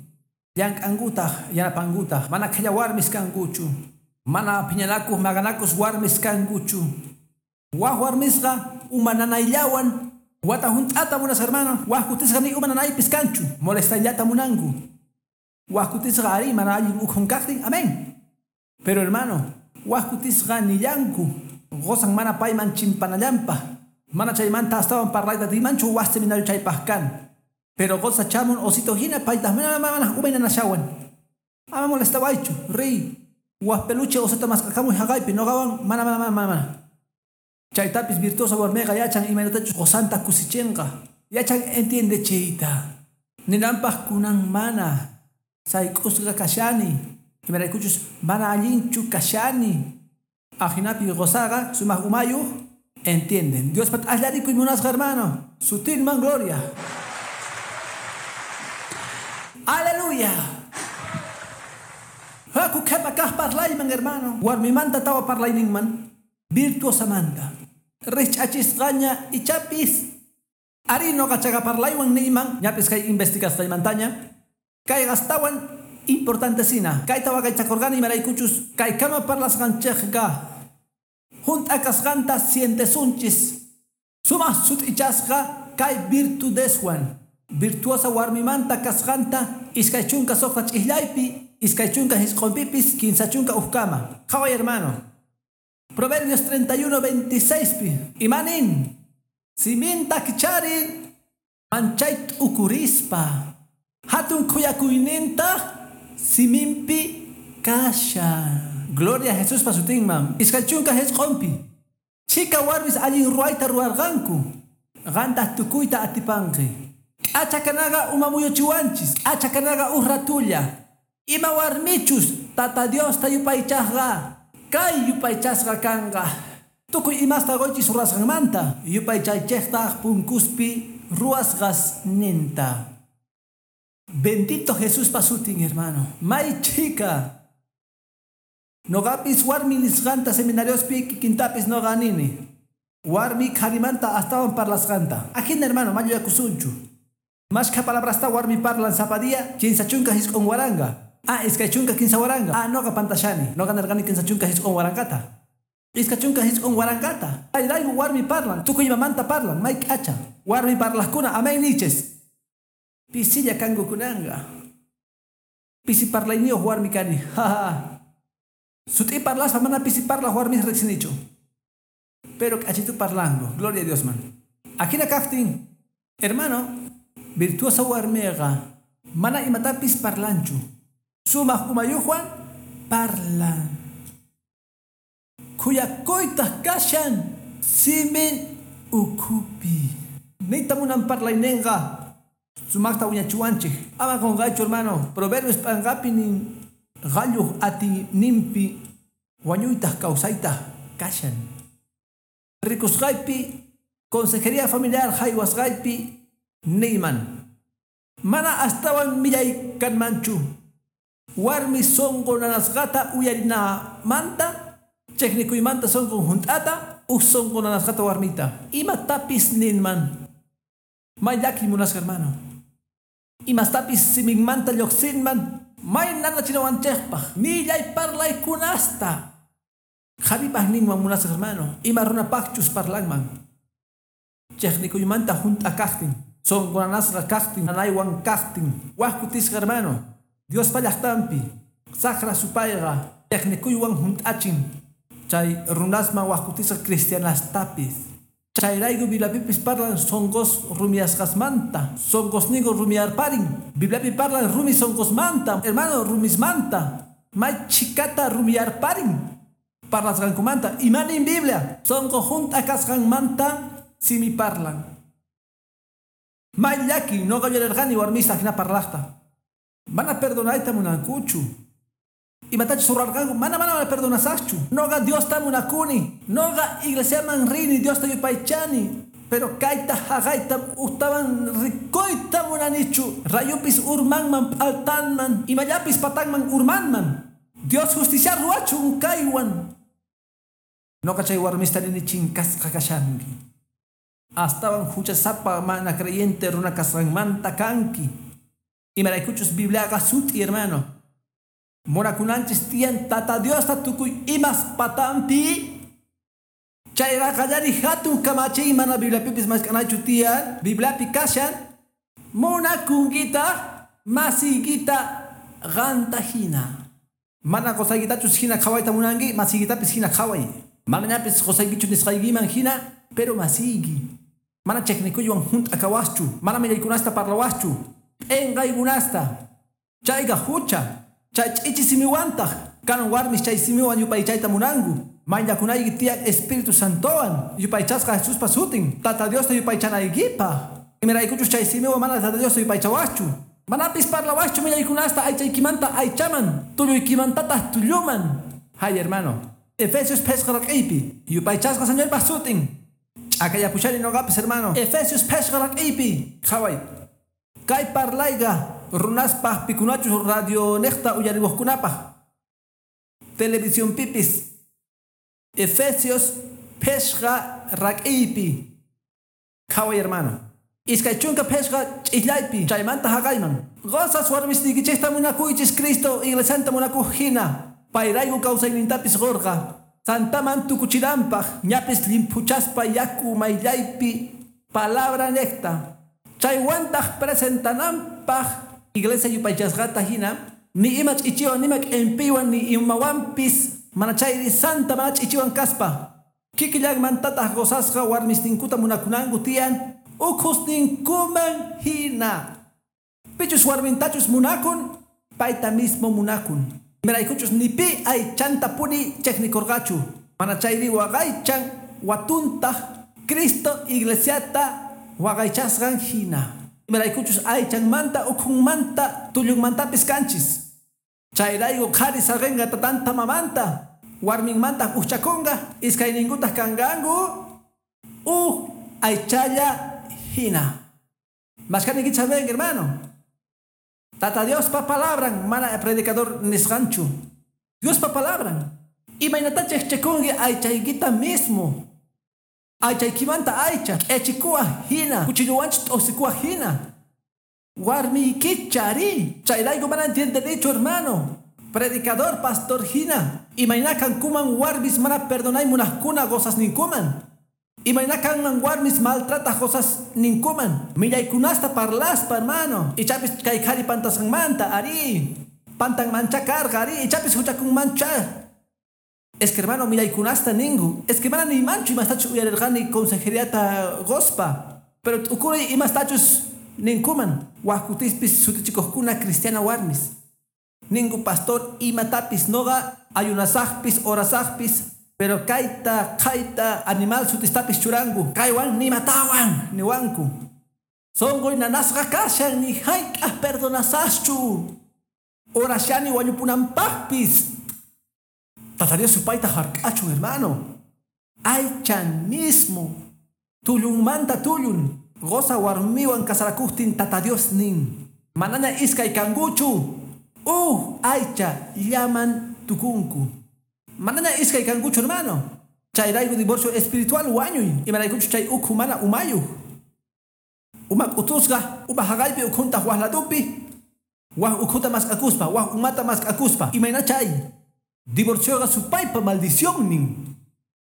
Llank'ankutaq, yanapankutaq, mana qhilla warmis kankuchu. Mana phiñanakuq maqanakus warmis kankuchu. Waj warmisqa uma nanayllawan wata hunt'ata munas, hermano. Waj kutisqa ni uma nanaypis kanchu. Molestayllata munanku. Waj kutisqa ari mana allin ukhun kaqtin. Amén. Pero hermano, waj kutisqa nillanku. Gozan mana payman chimpanallanpaq. Mana chaymanta astawan parlayta atiymanchu waj seminario chaypaq kan. Pero goza chamun osito hina paytaq mana mana umaynanashawan. Ama molestawaychu, riy. Waj peluche osita mask'akamuy haqaypi noqawan mana mana mana mana. Chaytapis virtuosa warmiqa yachan imaynatachus qusanta kusichinqa. Yachan entiende chayta. Ninanpaq kunan mana. Sayk'usqa kashani. Imaraykuchus mana allinchu kashani. Ajinapi qusaqa sumaq umayuq entienden. Diospa t'aqllarikuy munasqa hermano. Sutinman gloria. Aleluya. Haku qhepa kaq parlayman hermano. Warmimanta tawa parlayninman. Virtuosamanta. Rich'achisqaña ichapis. Ari noqa chaqa parlaywan niyman. Ñapis kay investigasqaymantaña. Kay astawan importantesina. Kayta waqaychakurqani imaraykuchus kaykama parlasqanchikqa hunt'a kasqanta sientesunchis. Sumaq sut'ichasqa kay virtudeswan. Virtuosa warmimanta kasqanta 26 ch'ijllaypi, 29pipis, 31kama. Qhaway hermano. Proverbios 31:26pi. Imanin siminta kicharin manchay t'ukurispa. Hatun khuyakuyninta siminpi kasha. Gloria a Jesuspa sutinman. 29pi. Chika warmis allin ruwayta ruwarqanku. Qantaq tukuyta atipanqi. K'achakanaqa umamuyuchiwanchis. K'achakanaqa uj ratulla. Ima warmichus Tata Diosta yupaychaqqa kay yupaychasqa kanqa. Tukuy imasta quychis ruwasqanmanta. Yupaychaychejtaq punkuspi ruwasqas ninta. Bendito Jesuspa sutin, hermano. May chika. Noqapis warmi nisqanta seminariospi kikintapis noqa nini. Warmi qharimanta astawan parlasqanta. Ajina hermano, mayuyakusunchu. Mashkha palabrasta warmi parlan sapa día, 39,000. Ah, 23,000. Ah, noqa pantashani. Noqa nerqani 39,000ta. 29,000ta. Chayrayku warmi parlan, tukuy imamanta parlan, may k'acha. Warmi parlaqkuna, amén niches. Pisilla kanku kunanqa. Pisi parlayniyuq warmi kani. Ha. Sut'i parlaspa mana pisi parlaq warmis riqsinichu. Pero k'achitu parlanku. Gloria a Dios man. Ajina kaqtin, hermano, virtuosa warmiqa mana imatapis parlanchu. Sumaq umayuqwan parlan. Khuyakuytaq kashan simin ukhupi. Niyta munan parlayninqa sumaqta wiñachiwanchik. Ama qunqaychu hermano. Proverbios p'anqapi nin qalluq atiyninpi wañuytaq kawsaytaq kashan. Rikusqaypi consejería familiar haywasqaypi niyman. Mana astawan millay kanmanchu. Warmi sunqu nanasqata uyarinamanta, chiqnikuymanta sunqun hunt'ata, uj sunqu nanasqata warmita. Imatapis ninman. May llaki munasqa hermano. Imastapis siminmanta lluqsinman, may nanachinawanchikpaq, millay parlaykunasta. Qharipaq ninman munasqa hermano, ima runapaqchus parlanman. Chiqnikuymanta hunt'a kaqtin, sunqu nanasqa kaqtin, nanaywan kaqtin, wak kutisqa hermano. Diospa llaqtanpi, saqra supayqa chiqnikuywan hunt'achin. Chay runasman wak kutisqa cristianastapis. Chayrayku Bibliapipis parlan sunqus rumiyasqasmanta, sunqusninku rumiyarparin. Bibliapi parlan rumi sunqusmanta, hermano, rumismanta. May chhikata rumiyarparin parlasqankumanta. Imanin Biblia? Sunqu hunt'a kasqanmanta simi parlan. May llaki noqa yuyarqani warmista hina parlaqta. Mana perdonayta munankuchu. Imatachus ruwarqanku, mana perdonasaqchu. Noqa Diosta munakuni. Noqa iglesiaman rini, Diosta yupaychani. Pero kayta haqayta ujtawan rikuyta munanichu. Rayupis urmanman p'altanman, imallapis patanman urmanman. Dios justicia ruwachun kaywan. Noqa chay warmista nini chinkasqa kashanki. Astawan huchasapa mana creyente runa kasqanmanta kanki. Imaraykuchus Bibliaqa sut'i hermano. Munakunanchis tiyan Tata Diosta tukuy imas patanpi. Chayra qallari hatun kamachiy mana Bibliapipis mask'anachu tiyan. Bibliapi kashan munakunkita masiykita qanta hina. Mana qusaykitachus hina qhawayta munanki, masiykitapis hina qhaway. Manañapis qusaykichu nisqaykiman hina, pero masiyki. Mana chiqnikuywan hunt'a kawaschu, mana millaykunasta parlawaschu. P'inqaykunasta. Chayqa hucha. Chay ch'ichi simiwantaq. Kanan warmis chay simiwan yupaychayta munanku. Mayllakunayki tiyan Espíritu Santowan yupaychasqa Jesuspa sutin. Tata Diosta yupaychanaykipaq. Imaraykuchus chay simiwan mana Tata Diosta yupaychawaschu. Manapis parlawaqchu millaykunasta aychaykimanta aychaman, tulluykimantataq tulluman. Hay hermano. Efesios phesqa raq'iypi. Yupaychasqa Señorpaq sutin. Ch'akayapushani noqapis hermano. Efesios phesqa raq'iypi. Qhaway. Kay parlayqa runaspaq pikunachus radio niqta uyariwaqkunapaq. Televisión pipis. Efesios phesqa raq'iypi. Qhaway hermano. Iskay chunka phesqa ch'illaypi chaymanta haqayman. Qosas warmisniykichikta munakuychis Cristo iglesianta munakuq hina. Payrayku kawsaynintapis qurqa. Santaman tukuchinanpaq ñapis llimphuchaspa yaku mayllaypi palabra niqta. Chaywantaq presentananpaq iglesia yupaychasqata hina ni ima ch'ichiwan nima k'impiwan ni imawanpis mana chayri santa mana ch'ichiwan kaspa. Kikillanmantataq qosasqa warmisninkuta munakunanku tiyan ukhusninkuman hina. Pichus warmintachus munakun, payta mismo munakun. Imaraykuchus ni pi aychanta puni chejnikurqachu. Mana chayri waqaychan watuntaq Cristo iglesiata waqaychasqan hina. Imaraykuchus aychanmanta ukhunmanta tullunmantapis kanchis. Chayrayku qhari saqinqa tatanta mamanta, warminmantaq ujchakunqa, iskayninkutaq kanqanku uj aychalla hina. Mashkanikichik ven, hermano. Tata Diospa palabran mana predicador nisqanchu. Diospa palabran. Imaynata chejchekunki aychaykita mismo. Aychaykimanta aycha, k'echikuwaq hina, cuchilluwanchus t'usikuwaq hina. Warmiykichari. Chayrayku mana entiendenichu, hermano. Predicador, pastor hina. Imayna kankuman warmis mana perdonay munaqkuna qosasninkuman. Imayna kanman warmis maltrataq qosasninkuman. Millaykunasta parlaspa, hermano. Ichapis kay qhari pantasqanmanta, arí. Pantanmancha karqa, arí. Ichapis huchakunmancha. Es que hermano, millaykunasta ninku. Es que mana niymanchu imastachus uyarirqani consejeriata qospa. Pero t'ukuri imastachus ninkuman. Wak kutispis sutichikuqkuna cristiana warmis. Ninku pastor imatapis noqa ayunasaqpis orasaqpis. Pero kayta, kayta, animal sutistapis churanku. Kaywan nimatawan, niwanku. Sonqoy nanasqa kashan ni hayk'aq perdonasaqchu. Orashani wañupunanpaqpis. Tata Dios supayta hark'achun, hermano. Aychan mismo. Tullunmanta tullun. Qosa warmiwan kasarakuqtin Tata Dios nin. Manaña iskay kankuchu. Uj aycha llaman tukunku. Manaña iskay kankuchu, hermano. Chayrayku divorcio espiritual wañuy. Imaraykuchu chay ukhu mana umayuq. Uma k'utusqa, uma haqaypi ukhuntaq waq ladupi. Waq ukhuta mask'akuspa, waq umata mask'akuspa. Imayna chay. Divorcioqa supaypa maldición nin.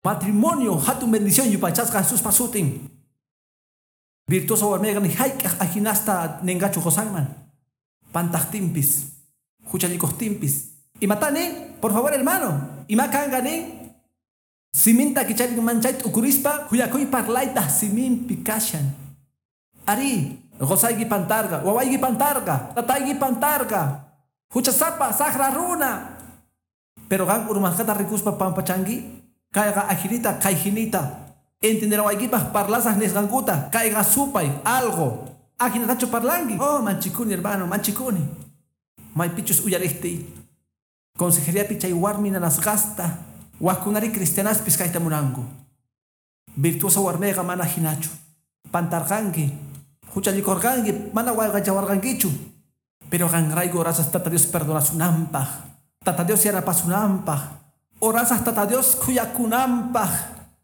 Matrimonio hatun bendición yupaychasqa Jesuspa sutin. Virtuosa warmiqa ni hayk'aq ajinasta ninqachu qosanman. Pantaqtinpis, huchallikuqtinpis. Imata nin? Por favor, hermano. Ima kanqa nin? Siminta kicharinman chay t'ukurispa khuyakuy parlaytaq siminpi kashan. Arí, qosayki pantarqa, wawayki pantarqa, tatayki pantarqa. Huchasapa, saqra runa. Pero qan urmasqata rikuspa pampachanki, kayqa ajinita, kayjinita. Entendenawaykipaq parlasaq nisqankuta, kayqa supay, algo. Ajinatachu parlanki. Oh, manchikuni, hermano, manchikuni. Maypichus uyariqtiy. Consejeriapi chay warmi nanasqasta, waqkunari cristianaspis kayta munanku. Virtuosa warmiqa mana hinachu. Pantarqanki, huchallikurqanki, mana wayqachawarqankichu. Pero qanrayku orasas Tata Dios perdonasunanpaq. Tata Dios yanapasunanpaq. Orasas Tata Dios khuyakunanpaq.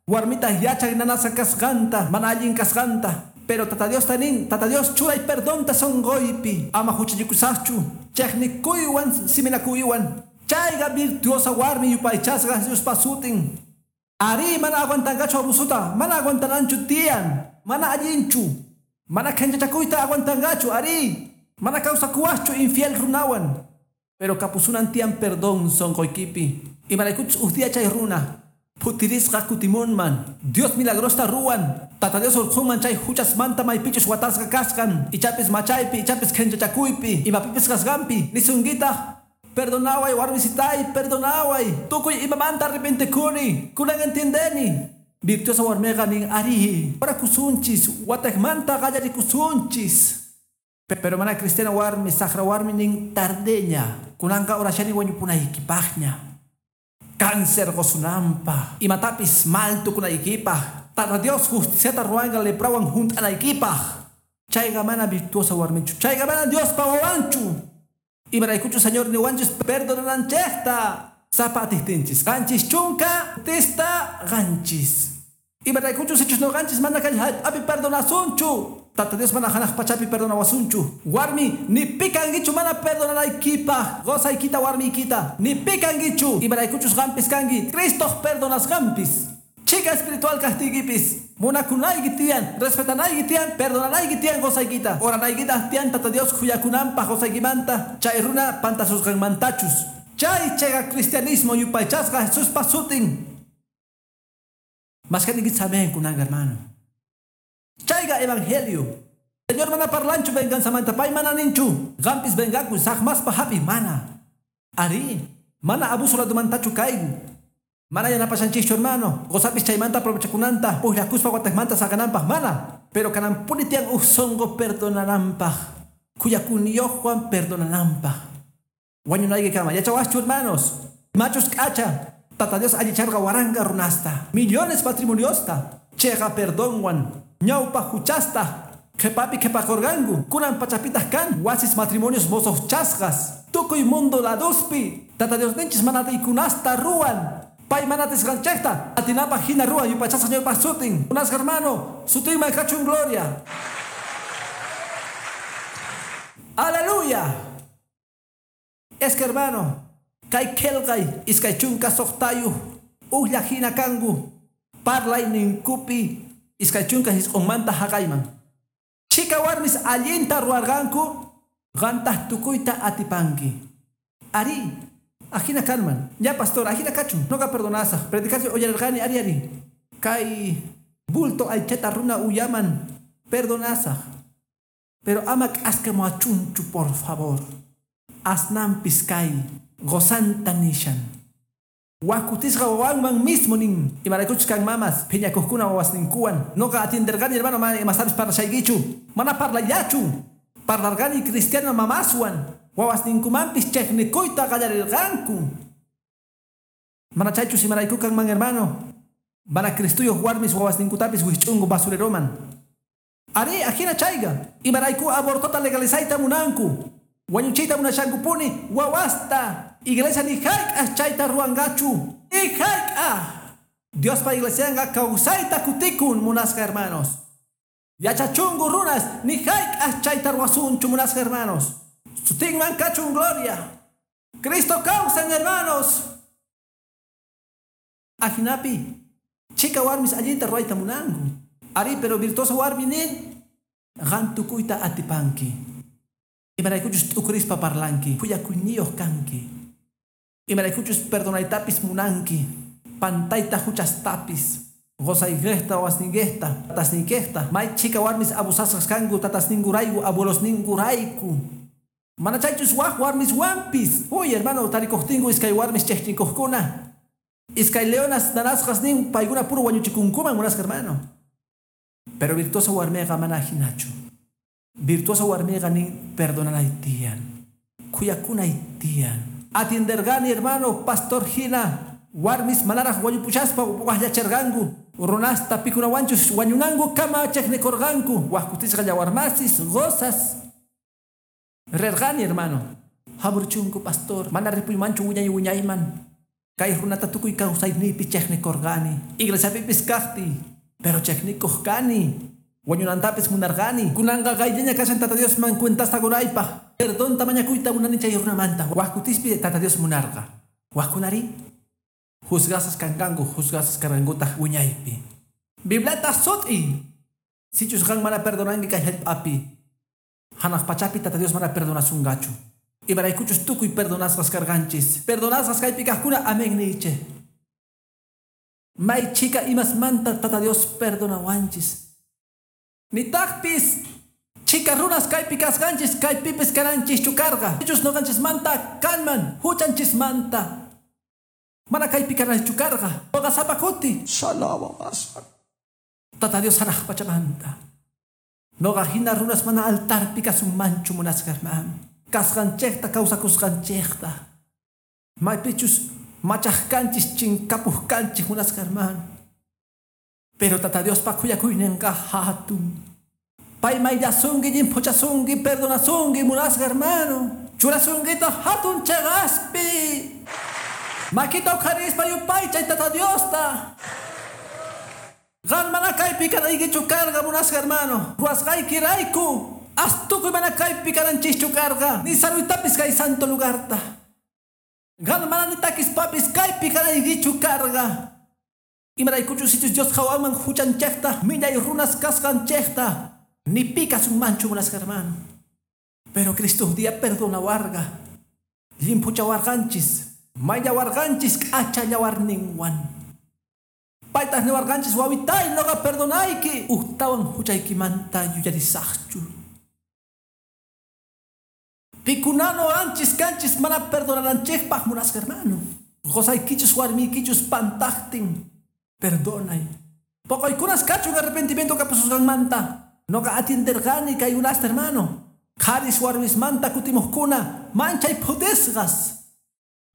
Warmita yachay nanasqa kasqanta, mana allin kasqanta. Pero Tata Dios tanin, Tata Dios churay perdonta sonqoypi. Ama huchallikusaqchu. Chejnikuywan siminakuywan. Chayqa virtuosa warmi yupaychasqa Jesuspa sutin. Arí, mana aguantanqachu abusuta, mana aguantananchu tiyan, mana allinchu, mana khenchachakuyta aguantanqachu, arí, mana kawsakuwaqchu infiel runawan. Pero kapusunan tiyan perdón sonqoykipi. Imaraykuchus uj día chay runa phutirisqa kutimunman. Dios milagrosta ruwan. Tata Dios urqhunman chay huchasmanta maypichus watasqa kasqan. Ichapis machaypi, ichapis khenchachakuypi, imapipis kasqanpi. Nisunkitaq, perdonaway warmisitay, perdonaway. Tukuy imamanta arrepentikuni. Kunan entiendeni. Virtuosa warmiqa nin arí. Orakusunchis, wataqmanta qallarikusunchis. Pero mana cristiana warmi, saqra warmi nin tardeña. Kunanqa orashani wañupunaykipaqña. Cáncer qosunanpaq, imatapis mal tukunaykipaq. Tata Dios justiciata ruwanqa leprawan hunt'anaykipaq. Chayqa mana virtuosa warmichu. Chayqa mana Diospa wawanchu. Imaraykuchu Señor niwanchis perdonananchejta. Sapa atijtinchis. Qanchis chunka tista qanchis. Imaraykuchu sichus noqanchis mana kay hallp'api perdonasunchu. Tata Dios mana hanaq pachapi perdonawasunchu. Warmi, ni pikankichu mana perdonanaykipaq. Qosaykita warmiykita. Ni pikankichu. Imaraykuchus qampis kanki. Cristoq perdonasqanpis. Chica espiritual kaqtiykipis. Munakunayki tiyan, respetanayki tiyan, perdonanayki tiyan qosaykita. Oranaykitaq tiyan Tata Dios khuyakunanpaq qosaykimanta. Chay runa pantasusqanmantachus. Chay chayqa cristianismo yupaychasqa Jesuspa sutin. Mashkaninkichis amén kunanqa hermano. Chayqa evangelio. Señor mana parlanchu venganzamanta pay mana ninchu. Qampis vengakuy saqmaspa hapi mana. Ari, mana abuso ladumantachu kayku. Mana yanapashanchischu hermano. Qosapis chaymanta aprovechakunanta, pujllakuspa watejmanta saqananpaq mana. Pero kananpuni tiyan uj sonqo perdonananpaq. Khuyakuyniyuqwan perdonananpaq. Wañunaykikama yachawaschu hermanos. Machus k'acha. Tata Dios allicharqa waranqa runasta. Millones matrimoniosta. Chayqa perdonwan. Ñawpa huchasta. Qhipapi qhipakurqanku. Kunan pachapitaq kan wasis matrimonios mosoqchasqas. Tukuy mundo laduspi. Tata Diosninchis mana atiykunasta ruwan. Pay mana atisqanchejta. Atinapaq hina ruwan yupaychasqa Señorpaq sutin. Munasqa hermano, sutinman kachun gloria. Aleluya. Es que hermano, kay qillqay iskay chunka suqtayuq ujlla hina kanku parlayninkupi iskay chunka hisq'unmanta haqayman. Chika warmis allinta ruwarqanku, qantaq tukuyta atipanki. Ari, ajina kanman. Ya pastor, ajina kachun. Noqa perdonasaq. Predicación uyarirqani ari ari. Kay bulto aychata runa uyaman perdonasaq. Pero ama k'askamuachunchu, por favor. Asnampis kay gozanta nishan. Wakutisqa wawanman mismo nin. Imaraykuchus kan mamas, phiñakuqkuna wawasninkuwan. Noqa atienderqani hermano mana imastapis parlashaykichu. Mana parlallachu. Parlarqani cristiano mamaswan. Wawasninkumanpis chejnikuyta qallarirqanku. Mana chaychus imarayku kanman hermano. Mana Cristuyuq warmis wawasninkutapis wijch'unku basureroman. Ari, ajina chayqa. Imarayku abortota legalizayta munanku. Wañuchiyta munashankupuni wawasta. Iglesia ni hayk'aq chayta ruwanqachu. Ni hayk'aq. Diospa iglesianqa kawsayta kutikun munasqa hermanos. Yachachunku runas ni hayk'aq chayta ruwasunchu munasqa hermanos. Sutinman kachun gloria. Cristo kawsan hermanos. Ajinapi, chika warmis allinta ruwayta munanku. Ari, pero virtuoso warmi nin qan tukuyta atipanki. Imaraykuchus t'ukurispa parlanki, khuyakuyniyuq kanki. Imaraykuchus perdonaytapis munanki, pantayta huchastapis. Qosaykiqta, wawasniykejta, tatasniykejta. May chika warmis abusasqas kanku tatasninkurayku, abuelosninkurayku. Mana chaychus waj warmis wampis. Uy, hermano, tarikuqtinku iskay warmis chejchinkuqkuna. Iskay leonas nanasqas nin paykuna puro wañuchikunkuman munasqa hermano. Pero virtuosa warmiqa mana hinachu. Virtuosa warmiqa nin perdonanay tiyan. Khuyakunay tiyan. Atienderqani hermano, pastor hina. Warmis manaraq wañupuchaspa wajllacherqanku. Runasta pikunawanchus wañunanku kama chejnikurqanku. Wajkutisqa llawarmasis, gozas. Rerqani hermano. Hamurchunku pastor, mana ripuymanchu wiñay wiñayman. Kay runata tukuy kawsayniypi chejnikurqani. Iglesiapipis kaqti, pero chejnikuq kani. Wañunantapis munarqani. Kunanqa qayllaña kashan Tata Diosman cuentasta qunaypaq. Perdonta mañakuyta munani chay runamanta. Wajkutispi Tata Dios munarqa. Wajkunari juzgasas kanqanku, juzgasas karqankutaq wiñaypi. Bibliata sut'i. Sichus qan mana perdonanki kay hallp'api. Hanaq pachapi Tata Dios mana perdonasunqachu. Imaraykuchus tukuy perdonasqas karqanchis. Perdonasqas kaypi kaqkuna amén niychej. May chika imasmanta Tata Dios perdonawanchis. Nitaqpis chika runas kaypi kasqanchis kaypipis kananchischu karqa. Sichus noqanchismanta kanman huchanchismanta. Mana kaypi kananchu karqa. Noqa sapa kuti. Tata Dios hanaq pachamanta. Noqa hina runas mana altarpi kasunmanchu munasqa hermano. Kasqanchikta kawsakusqanchikta. Maypichus machaqkanchis chinkapuqkanchik munasqa hermano. Pero Tata Diospa khuyakuyninqa hatun. Pay mayllasunki llimphuchasunki perdonasunki munasqa hermano. Churasunkita hatun cheqaspi. Makita uqharispa yupaychay Tata Diosta. Qan mana kaypi kanaykichu karqa munasqa hermano. Ruwasqaykirayku. Astukuy mana kaypi kananchischu karqa. Ni saruytapis kay santo lugarta. Qan mana ni takispapis kaypi kanaykichu karqa. Imaraykuchus sichus Dios qhawanman huchanchikta, millay runas kasqanchikta. Ni pi kasunmanchu munasqa hermano. Pero Cristo día perdonawarqa. Llimphuchawarqanchis. Mayllawarqanchis k'achallawarninwan. Paytaq niwarqanchis wawitay noqa perdonayki. Ujtawan huchaykimanta yuyarisaqchu. Pikunano anchis kanchis mana perdonananchikpaq munasqa hermano. Qosaykichus warmiykichus pantaqtin. Perdonay. Poqoykunas kachun arrepentimiento kapususqanmanta. Noqa atienderqani kaykunasta hermano. Qharis warmismanta kutimuqkuna manchay phutisqas.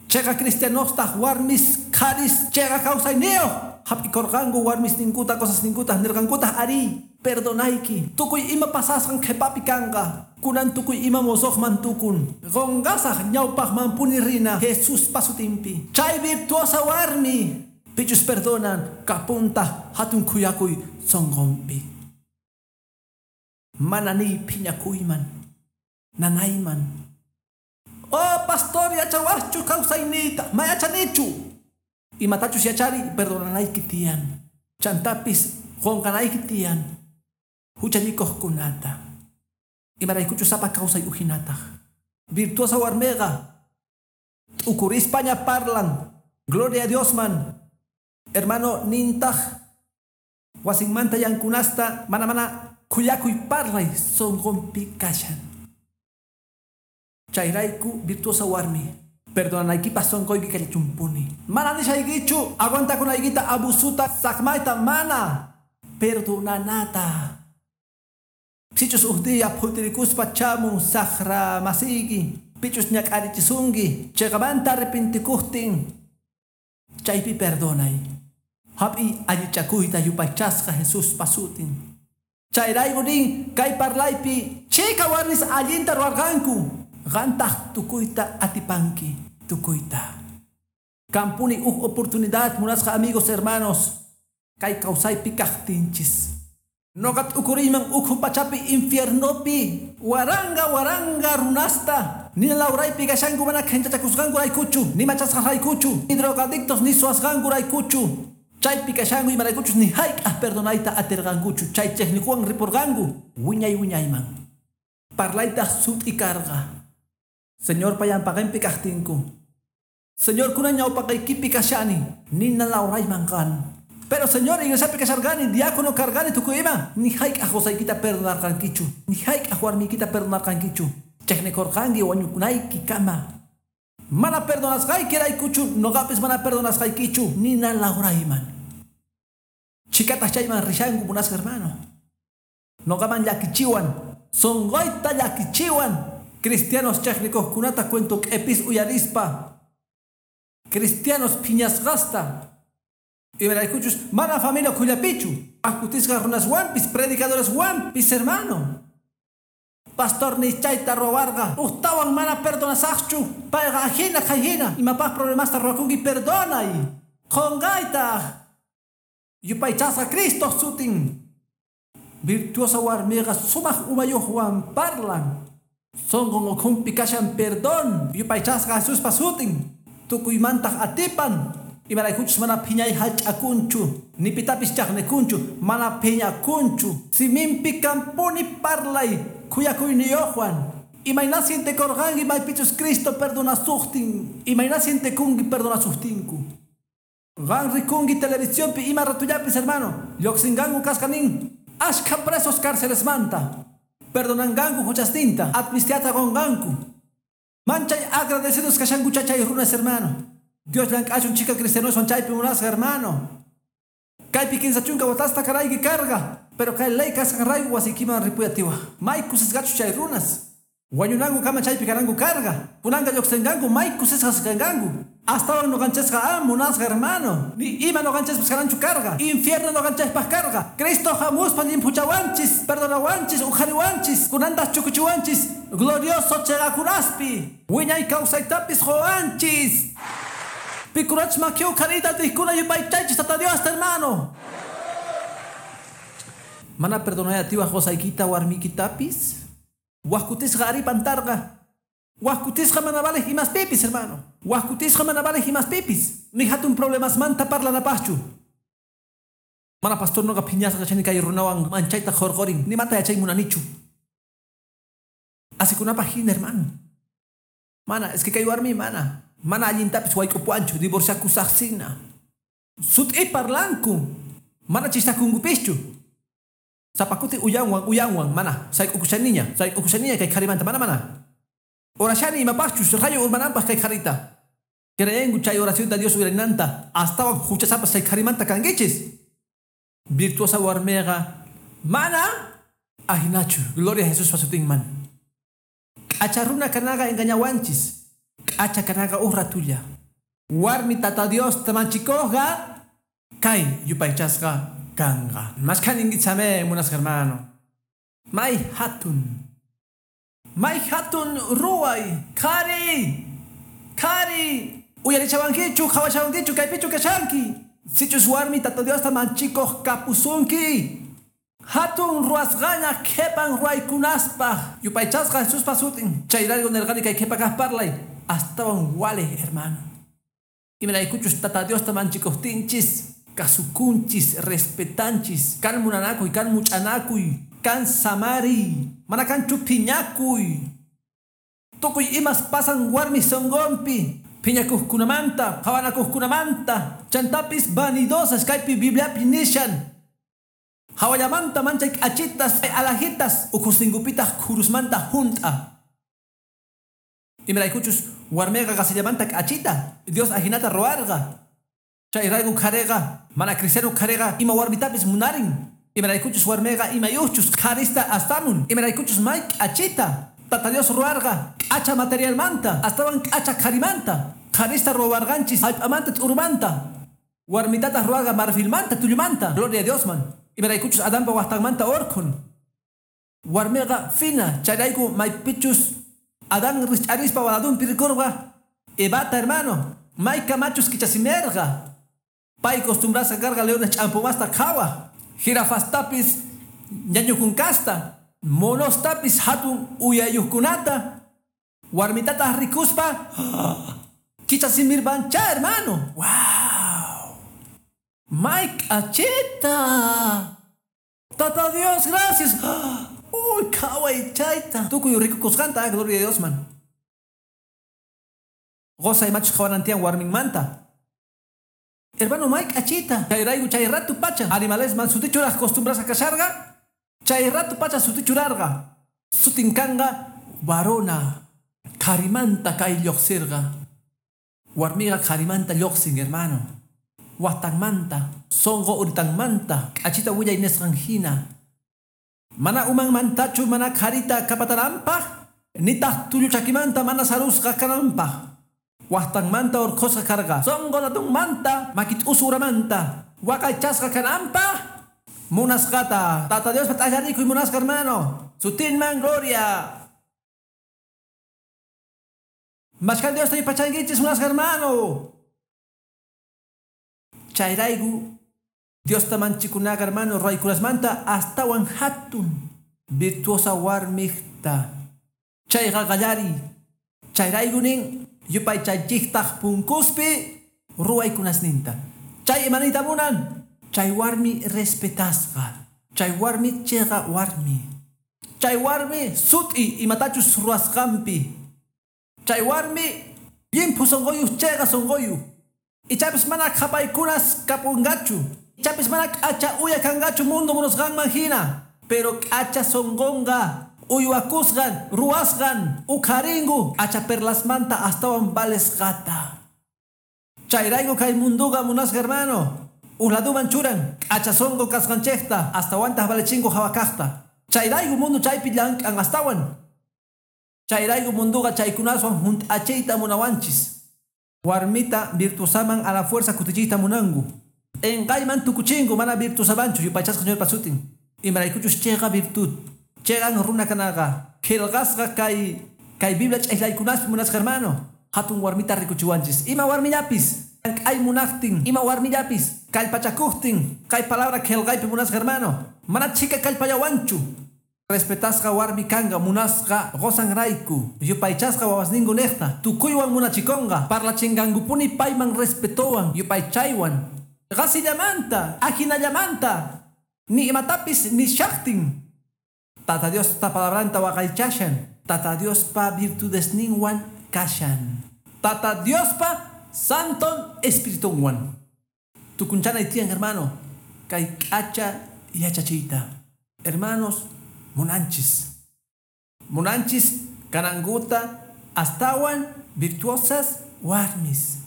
Cheqa cristianostaq warmis qharis cheqa kawsayniyuq. Hap'ikurqanku warmis ninkuta cosas ninkuta nirqankutaq ari perdonayki. Tukuy ima pasasqan qhipapi kanqa. Kunan tukuy ima mosoqman tukun. Qunqasaq ñawpaqmanpuni rina Jesuspa sutinpi. Chay virtuosa warmi pichus perdonan kapunta hatun khuyakuy sunqunpi. Mana niy phiñakuyman nanayman. Oh pastor yachawaqchu kawsayniyta mayachanichu. Imatachus yachari perdonanayki tiyan. Chantapis qunqanayki tiyan. Huchallikuqkunata. Imaraykuchus sapa kawsay ujinataq. Virtuosa warmiqa t'ukurispaña parlan. Gloria a Dios man. Hermano nintaq wasinmanta yankunasta mana mana khuyakuy parlay sunqunpi kashan. Chayrayku virtuosa warmi. Perdonanaykipaq sunquyki kallachumpuni. Mana nishaykichu aguantakunaykita abusuta saqmayta mana. Perdonanata. Sichus uj día phutirikuspa chamun saqra masiyki. Pichus ñak'arichisunki. Chiqamanta arrepentikuqtin. Chaypi perdonay. Hap'iy allichakuyta yupaychasqa Jesuspa sutin. Chayrayku nin kay parlaypi chika warmis allinta ruwarqanku. Qantaq tukuyta atipanki tukuyta. Kampuni uj oportunidad munasqa amigos hermanos. Kay kawsaypi kaqtinchis. Noqa t'ukuriyman ukhu pachapi infiernopi waranga waranga runasta. Nina lawraypi kashanku mana qhinchachakusqankuraykuchu ni machasqaraykuchu ni drogadictos ni suwasqankuraykuchu. Chaypi kashanku imaraykuchus ni hayk'aq perdonayta atirqankuchu. Chay chejnikuwan ripurqanku wiñay wiñayman. Parlaytaq sut'i karqa. Señor payanpaqinpi kaqtinku. Señor kunan ñawpaqaykipi kashani nina lawrayman qan. Pero Señor iglesiapi kasharqani diácono karqani tukuy ima ni hayk'aq qusaykita perdonarqankichu ni hayk'aq warmiykita perdonarqankichu. Chejnikurqanki wañukunayki kama. Mana perdonasqaykiraykuchu noqapis mana perdonasqaykichu nina lawrayman. Chikataq chayman rishanku munasqa hermano. Noqaman llakichiwan sunquyta llakichiwan. Cristianos chejnikuqkunata cuento q'epis uyarispa. Cristianos phiñasqasta. Imaraykuchus mana familia khullapichu. Ajkutisqa runaswanpis predicadoreswanpis hermano. Pastor ni chayta ruwarqa. Ujtawan mana perdonasaqchu. Payqa ajina kayhina. Imapaq problemasta ruwakunki perdonay. Qunqaytaq. Yupaychasqa Cristo sutin. Virtuosa warmiqa sumaq umayuqwan parlan. Sunqun ukhunpi kashan perdón. Yupaychasqa Jesuspa sutin. Tukuymantaq atipan. Imaraykuchus mana phiñay hallch'akunchu. Ni pitapis chaqnikunchu. Mana phiñakunchu. Siminpi kampuni parlay khuyakuyniyuqwan. Imayna sientekurqanki maypichus Cristo perdonasuqtin. Imayna sientekunki perdonasuqtinku. Qan rikunki televisionpi ima ratullapis hermano. Lluqsinqanku kasqa nin. Ashkha presos cárcelesmanta. Perdonanqanku huchastinta. Amnistiata qunqanku. Manchay agradecidos kashanku chachay runas hermano. Dios llank'achun chika cristianoswan chaypi munasqa hermano. Kaypi 15 watasta karayki karqa. Pero kay ley kasqanrayku wasiykiman ripuyatiwaj. May kusisqachus chay runas. Wañunanku kama chaypi kananku karqa. Kunanqa lluqsinqanku may kusisqas kanqanku. Astawan ñuqanchikqa munasqa hermano. Ni ima ñuqanchikpas kananchu karqa. Infierno ñuqanchikpaq karqa. Cristo hamuspa llimphuchawanchis, perdonawanchis, uqhariwanchis, kunantaq chukuchiwanchis, glorioso chiqakunaspi. Wiñay kawsaytapis quwanchis. Pikunachus maki uqhariyta atiqkuna yupaychaychis Tata Diosta, hermano. Mana perdonay atiwaj qusaykita warmiykitapis. Wajkutisqa ari pantarqa. Wajkutisqa mana valeq imaspipis, hermano. Wajkutisqa mana valeq imaspipis. Ni hatun problemasmanta parlanapaqchu. Mana pastor noqa phiñasqa kachani kay runawan manchayta qhurqurin. Nimata yachay munanichu. Asikunapaq hina, hermano. Mana, es que kay warmi mana. Mana allintapis wayk'upuwanchu, divorciakusaqsina. Sut'i parlanku. Mana chistakunkupischu. Sapa kuti uyanwan, uyanwan, mana. Sayk'ukushaniña, sayk'ukushaniña kay qharimanta, mana, mana. Orashani imapaqchus rayo urmananpaq kay qharita. Creenku chay oracionta Dios uyarinanta, astawan huchasapas chay qharimanta kankichis. Virtuosa warmiqa mana ahinachu. Gloria a Jesús pasutinman. K'acha runa kanaqa engañawanchis. K'acha kanaqa uj ratulla. Warmi Tata Dios tamanchikuqqa kay yupaychasqa kanqa. Mashkhaninkichame, munasqa hermano. May hatun. May hatun ruway. Qhari. Qhari. Uyarichawankichu, qhawachawankichu, kaypichu kashanki. Sichus warmi Tata Diosta manchikuq kapusunki. Hatun ruwasqaña qhipan ruwaykunaspaq. Yupaychasqa Jesuspa sutin. Chayrayku nirqani kay qhipa kaq parlay. Astawan wale, hermano. Imaraykuchus Tata Diosta manchikuqtinchis. Kasukunchis, respetanchis, kan munanakuy, kan much'anakuy, kan samariy, mana kanchu phiñakuy. Tukuy imas pasan warmi sunqunpi, phiñakuqkunamanta, qhawanakuqkunamanta, chantapis vanidosas kaypi Bibliapi nishan. Hawallamanta manchay k'achitas, alajitas, ukhusninkupitaq khurusmanta hunt'a. Imaraykuchus warmiqa qasillamanta k'achita, Dios ajinata ruwarqa. Chayrayku qhariqa, mana cristiano qhariqa ima warmitapis munarin. Imaraykuchus warmiqa imayuqchus qharista astamun. Imaraykuchus may k'achita. Tata Dios ruwarqa k'acha materialmanta, astawan k'acha qharimanta. Qharista ruwarqanchis hallp'amanta t'urumanta. Warmitataq ruwarqa marfilmanta, tullumanta. Gloria a Diosman. Imaraykuchus Adanpa waqtanmanta urqhun. Warmiqa fina, chayrayku maypichus Adán rich'arispa waladunpi rikurqa. Evata, hermano, mayka machus kichasimerqa. Pay costumbrasqa karqa leones ch'ampumasta qhawaq. Jirafastapis ñañukunkasta, monostapis hatun uyayuqkunata. Warmitataq rikuspa kichasimirpancha, hermano. Wow. May k'achita. Tata Dios, gracias. Uy, qhaway chayta. Tukuy rikukusqanta, gloria a Dios, man. Qosa imachus qhawanantiyan warminmanta. Hermano, may k'achita. Chayrayku chay ratu pacha. Animalesman sutichuraq costumbrasqa kasharqa. Chay ratu pacha sutichurarqa. Sutin kanqa varona. Qharimanta kay lluqsirqa. Warmiqa qharimanta lluqsin, hermano. Waqtanmanta, sunqu uritanmanta, k'achita willay nisqan hina. Mana umanmantachu mana qharita kapatananpaq, nitaq tullu chakimanta mana sarusqa kananpaq. Waqtanmanta urqhusqa karqa. Sunqu latunmanta, makit'usu uramanta, waqaychasqa kananpaq, munasqata. Tata Diospa t'allarikuy munasqa, hermano. Sutinman gloria. Mashkhan Diosta yupaychankichis munasqa, hermano. Chayrayku Diosta manchikunaqa, hermano, ruwaykunasmanta astawan hatun virtuosa warmiqta. Chayqa qallariy. Chayrayku nin yupaychaychiktaq punkuspi ruwaykunasninta. Chay imaniyta munan. Chay warmi respetasqa. Chay warmi chiqa warmi. Chay warmi sut'i imatachus ruwasqanpi. Chay warmi llimphu sunquyuq chiqa sunquyuq. Ichapis mana qhapaykunas kapunqachu. Ichapis mana k'acha uya kanqachu mundo munasqanman hina. Pero k'acha sunqunqa uywakusqan, ruwasqan, uqharinku k'acha perlasmanta astawan valesqata. Chayrayku kay munduqa munasqa, hermano. Uj laduman churan k'acha sonqo kasqanchejta, astawantaj valechingu jawa kajta. Chayrayku mundo chaypi llank'an astawan. Chayrayku munduqa chaykunaswan hunt'achiyta munawanchis. Warmita virtuosaman a la fuerza kutichiyta munanku. P'inqayman tukuchinku, mana virtuosamanchu, yupaychasqa Señorpa sutin. Imaraykuchus chayqa virtud. Cheqan runa kanaqa. Qillqasqa kay kay Biblia ch'ijlaykunaspi, munasqa hermano. Hatun warmita rikuchiwanchis. Ima warmillapis llank'ay munaqtin, ima warmillapis kallpachakuqtin, kay palabra qillqaypi, munasqa hermano, mana chhika kallpallawanchu. Respetasqa warmi kanqa munasqa qosanrayku, yupaychasqa wawasninku niqta, tukuywan munachikunqa, parlachinqankupuni payman respetowan, yupaychaywan. Qasillamanta, ajinallamanta, ni imatapis nishaqtin, Tata Diospa palabranta waqaychashan, Tata Diospa virtudesninwan kashan. Tata Diospa Santon Espiritunwan. Tukunchanay tiyan, hermano, kay k'acha yachachiyta. Hermanos, munanchis. Munanchis kananguta astawan virtuosas warmis.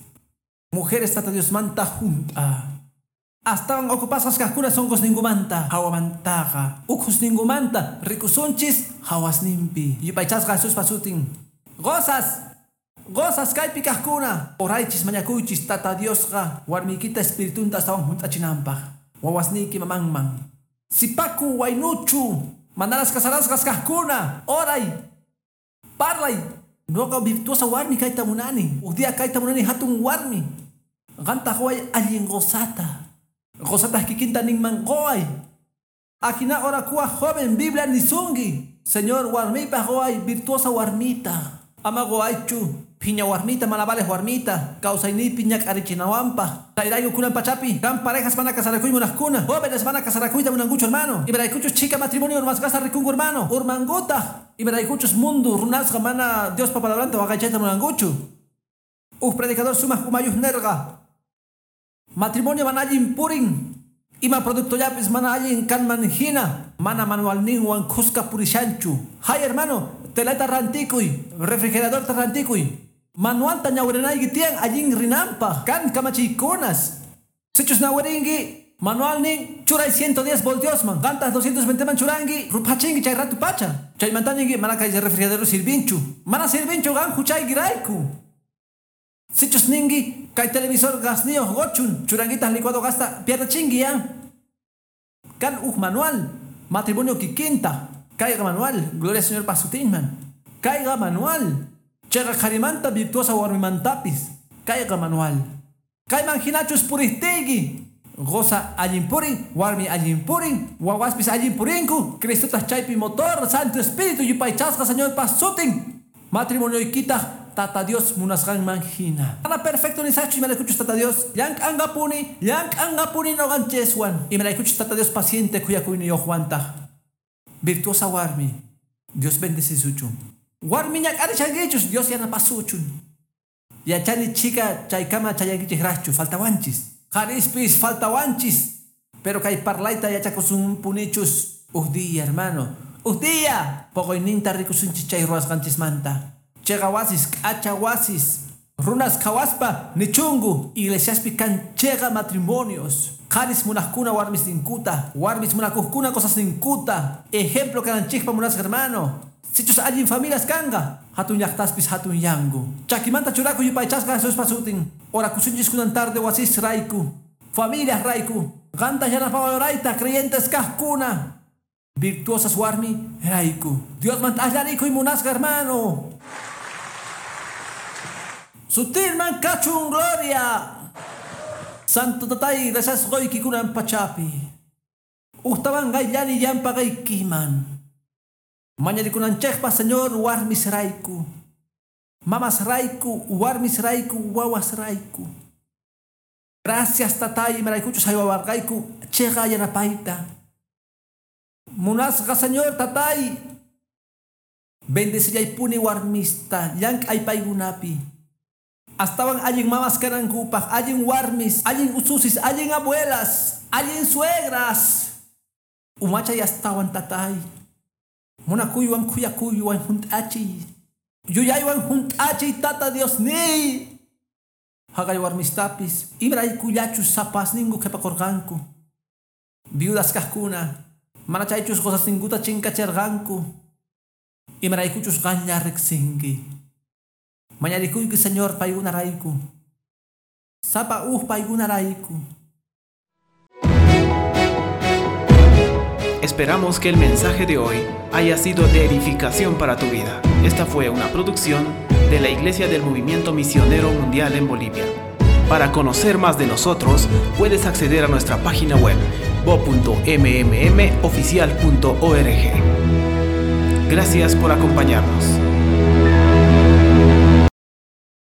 Mujeres Tata Diosmanta junt'a. Astawan ocupasqas kaqkuna sonqosninkumanta, hawamantaqa, ukhusninkumanta rikusunchis hawasninpi. Yupaychasqa Jesuspa sutin. Qosas, qosas kaypi kaqkuna, oraychis, mañakuychis Tata Diosqa warmiykita espiritunta astawan hunt'achinanpaq. Wawasniyki mamanman. Sipaku waynuchu, manaras casarasqas kaqkuna, oray, parlay. Noqa virtuosa warmi kayta munani. Uj día kayta munani hatun warmi. Qantaq way allin qosata. Qosataq kikinta ninman quway. Ajina orakuwaq joven Biblia nisunki. Señor, warmipaq quway virtuosa warmita. Ama quwaychu phiña warmita, mana vales warmita. Kawsayniypi ñak'arichinawanpaq. Chayrayku kunan pachapi kan parejas mana casarakuy munaqkuna. Jóvenes mana casarakuyta munankuchu, hermano. Imaraykuchus chhika matrimonio urmasqasta rikunku, hermano. Urmankutaq. Imaraykuchus mundo runasqa mana Diospa palabranta waqaychayta munankuchu. Uj predicador sumaq umayuq nerqa. Matrimonio mana allin purin. Ima productollapis mana allin kanman hina. Mana manualninwan khuska purishanchu. Hay hermano, telata rantikuy, refrigeradorta rantikuy. Manualta ñawirinayki tiyan allin rinanpaq. Kan kamachiykunas. Sichus ñawirinki, manualnin churay 110 voltiosman. Qantaq 220 man churanki, ruphachinki chay ratu pacha. Chaymanta ninki mana kay refrigerador sirvinchu. Mana sirvinchu qan huchaykirayku. Sichus ninki kay televisor gasniyuq qochun, churankitaq licuado gasta pierdechinki ya. Kan uj manual, matrimonio kikinta. Kayqa manual, gloria al Señor pa sutinman. Kayqa manual. Chayqa qharimanta virtuosa warmimantapis. Kayqa manual. Kayman hinachus puriqtiyki. Qosa allin purin, warmi allin purin, wawaspis allin purinku. Cristotaq chaypi motor, Santo Espíritu yupaychasqa Señorpa sutin. Matrimonioykitaq Tata Dios munasqanman hina. Mana perfecto nisaqchu imaraykuchus Tata Dios llank'anqapuni, llank'anqapuni noqanchikwan. Imaraykuchus Tata Dios paciente khuyakuyniyuqwantaq. Virtuosa warmi, Dios bendecisuchun. Warmi ñak'arishankichus, Dios yanapasuchun. Yachani chhika chaykama chayankichikraqchu, faltawanchis. Qharispis faltawanchis. Pero kay parlayta yachakusunpunichus. Uj día, hermano. Uj día. Poqoyninta rikusunchis chay ruwasqanchismanta. Chayqa wasis, k'acha wasis. Runas qhawaspa nichunku. Iglesiaspi kan chayqa matrimonios. Qharis munaqkuna warmisninkuta, warmis munakuqkuna qosasninkuta. Ejemplo kananchikpa munasqa hermano. Sichus allin familias kanqa, hatun llaqtaspis hatun yanku. Chakimanta churakuy yupaychasqa Jesuspa sutin. Orakusunchis kunan tarde wasis rayku, familias rayku. Qanta yanapawayrayta creyentes kaqkuna. Virtuosas warmi rayku. Diosmanta allarikuy munasqa hermano. Sutinman kachun gloria. Santo tatay, gracias qoyki kunan pachapi. Ujtawan qayllani llampaqaykiman. Mañarikunanchikpa Señor warmis rayku. Mamas rayku, warmis rayku, wawas rayku. Gracias tatay, imaraykuchus haywawarqayku chayqa yanapayta. Munasqa Señor tatay. Bendecillaypuni warmista, llank'ay paykunapi. Astawan allin mamas kanankupaq, allin warmis, allin ususis, allin abuelas, allin suegras. Umachay astawan tatay. Munakuywan khuyakuywan hunt'achiy. Yuyaywan hunt'achiy Tata Diosniy. Haqay warmistapis imaraykullachus sapasninku qhipakurqanku. Viudas kaqkuna, mana chaychus qusasninkuta chinkachirqanku. Imaraykuchus qanlla riqsinki. Mañarikuyki, Señor, paykunarayku. Sapa uj paykunarayku. Esperamos que el mensaje de hoy haya sido de edificación para tu vida. Esta fue una producción de la Iglesia del Movimiento Misionero Mundial en Bolivia. Para conocer más de nosotros, puedes acceder a nuestra página web bo.mmmoficial.org. Gracias por acompañarnos.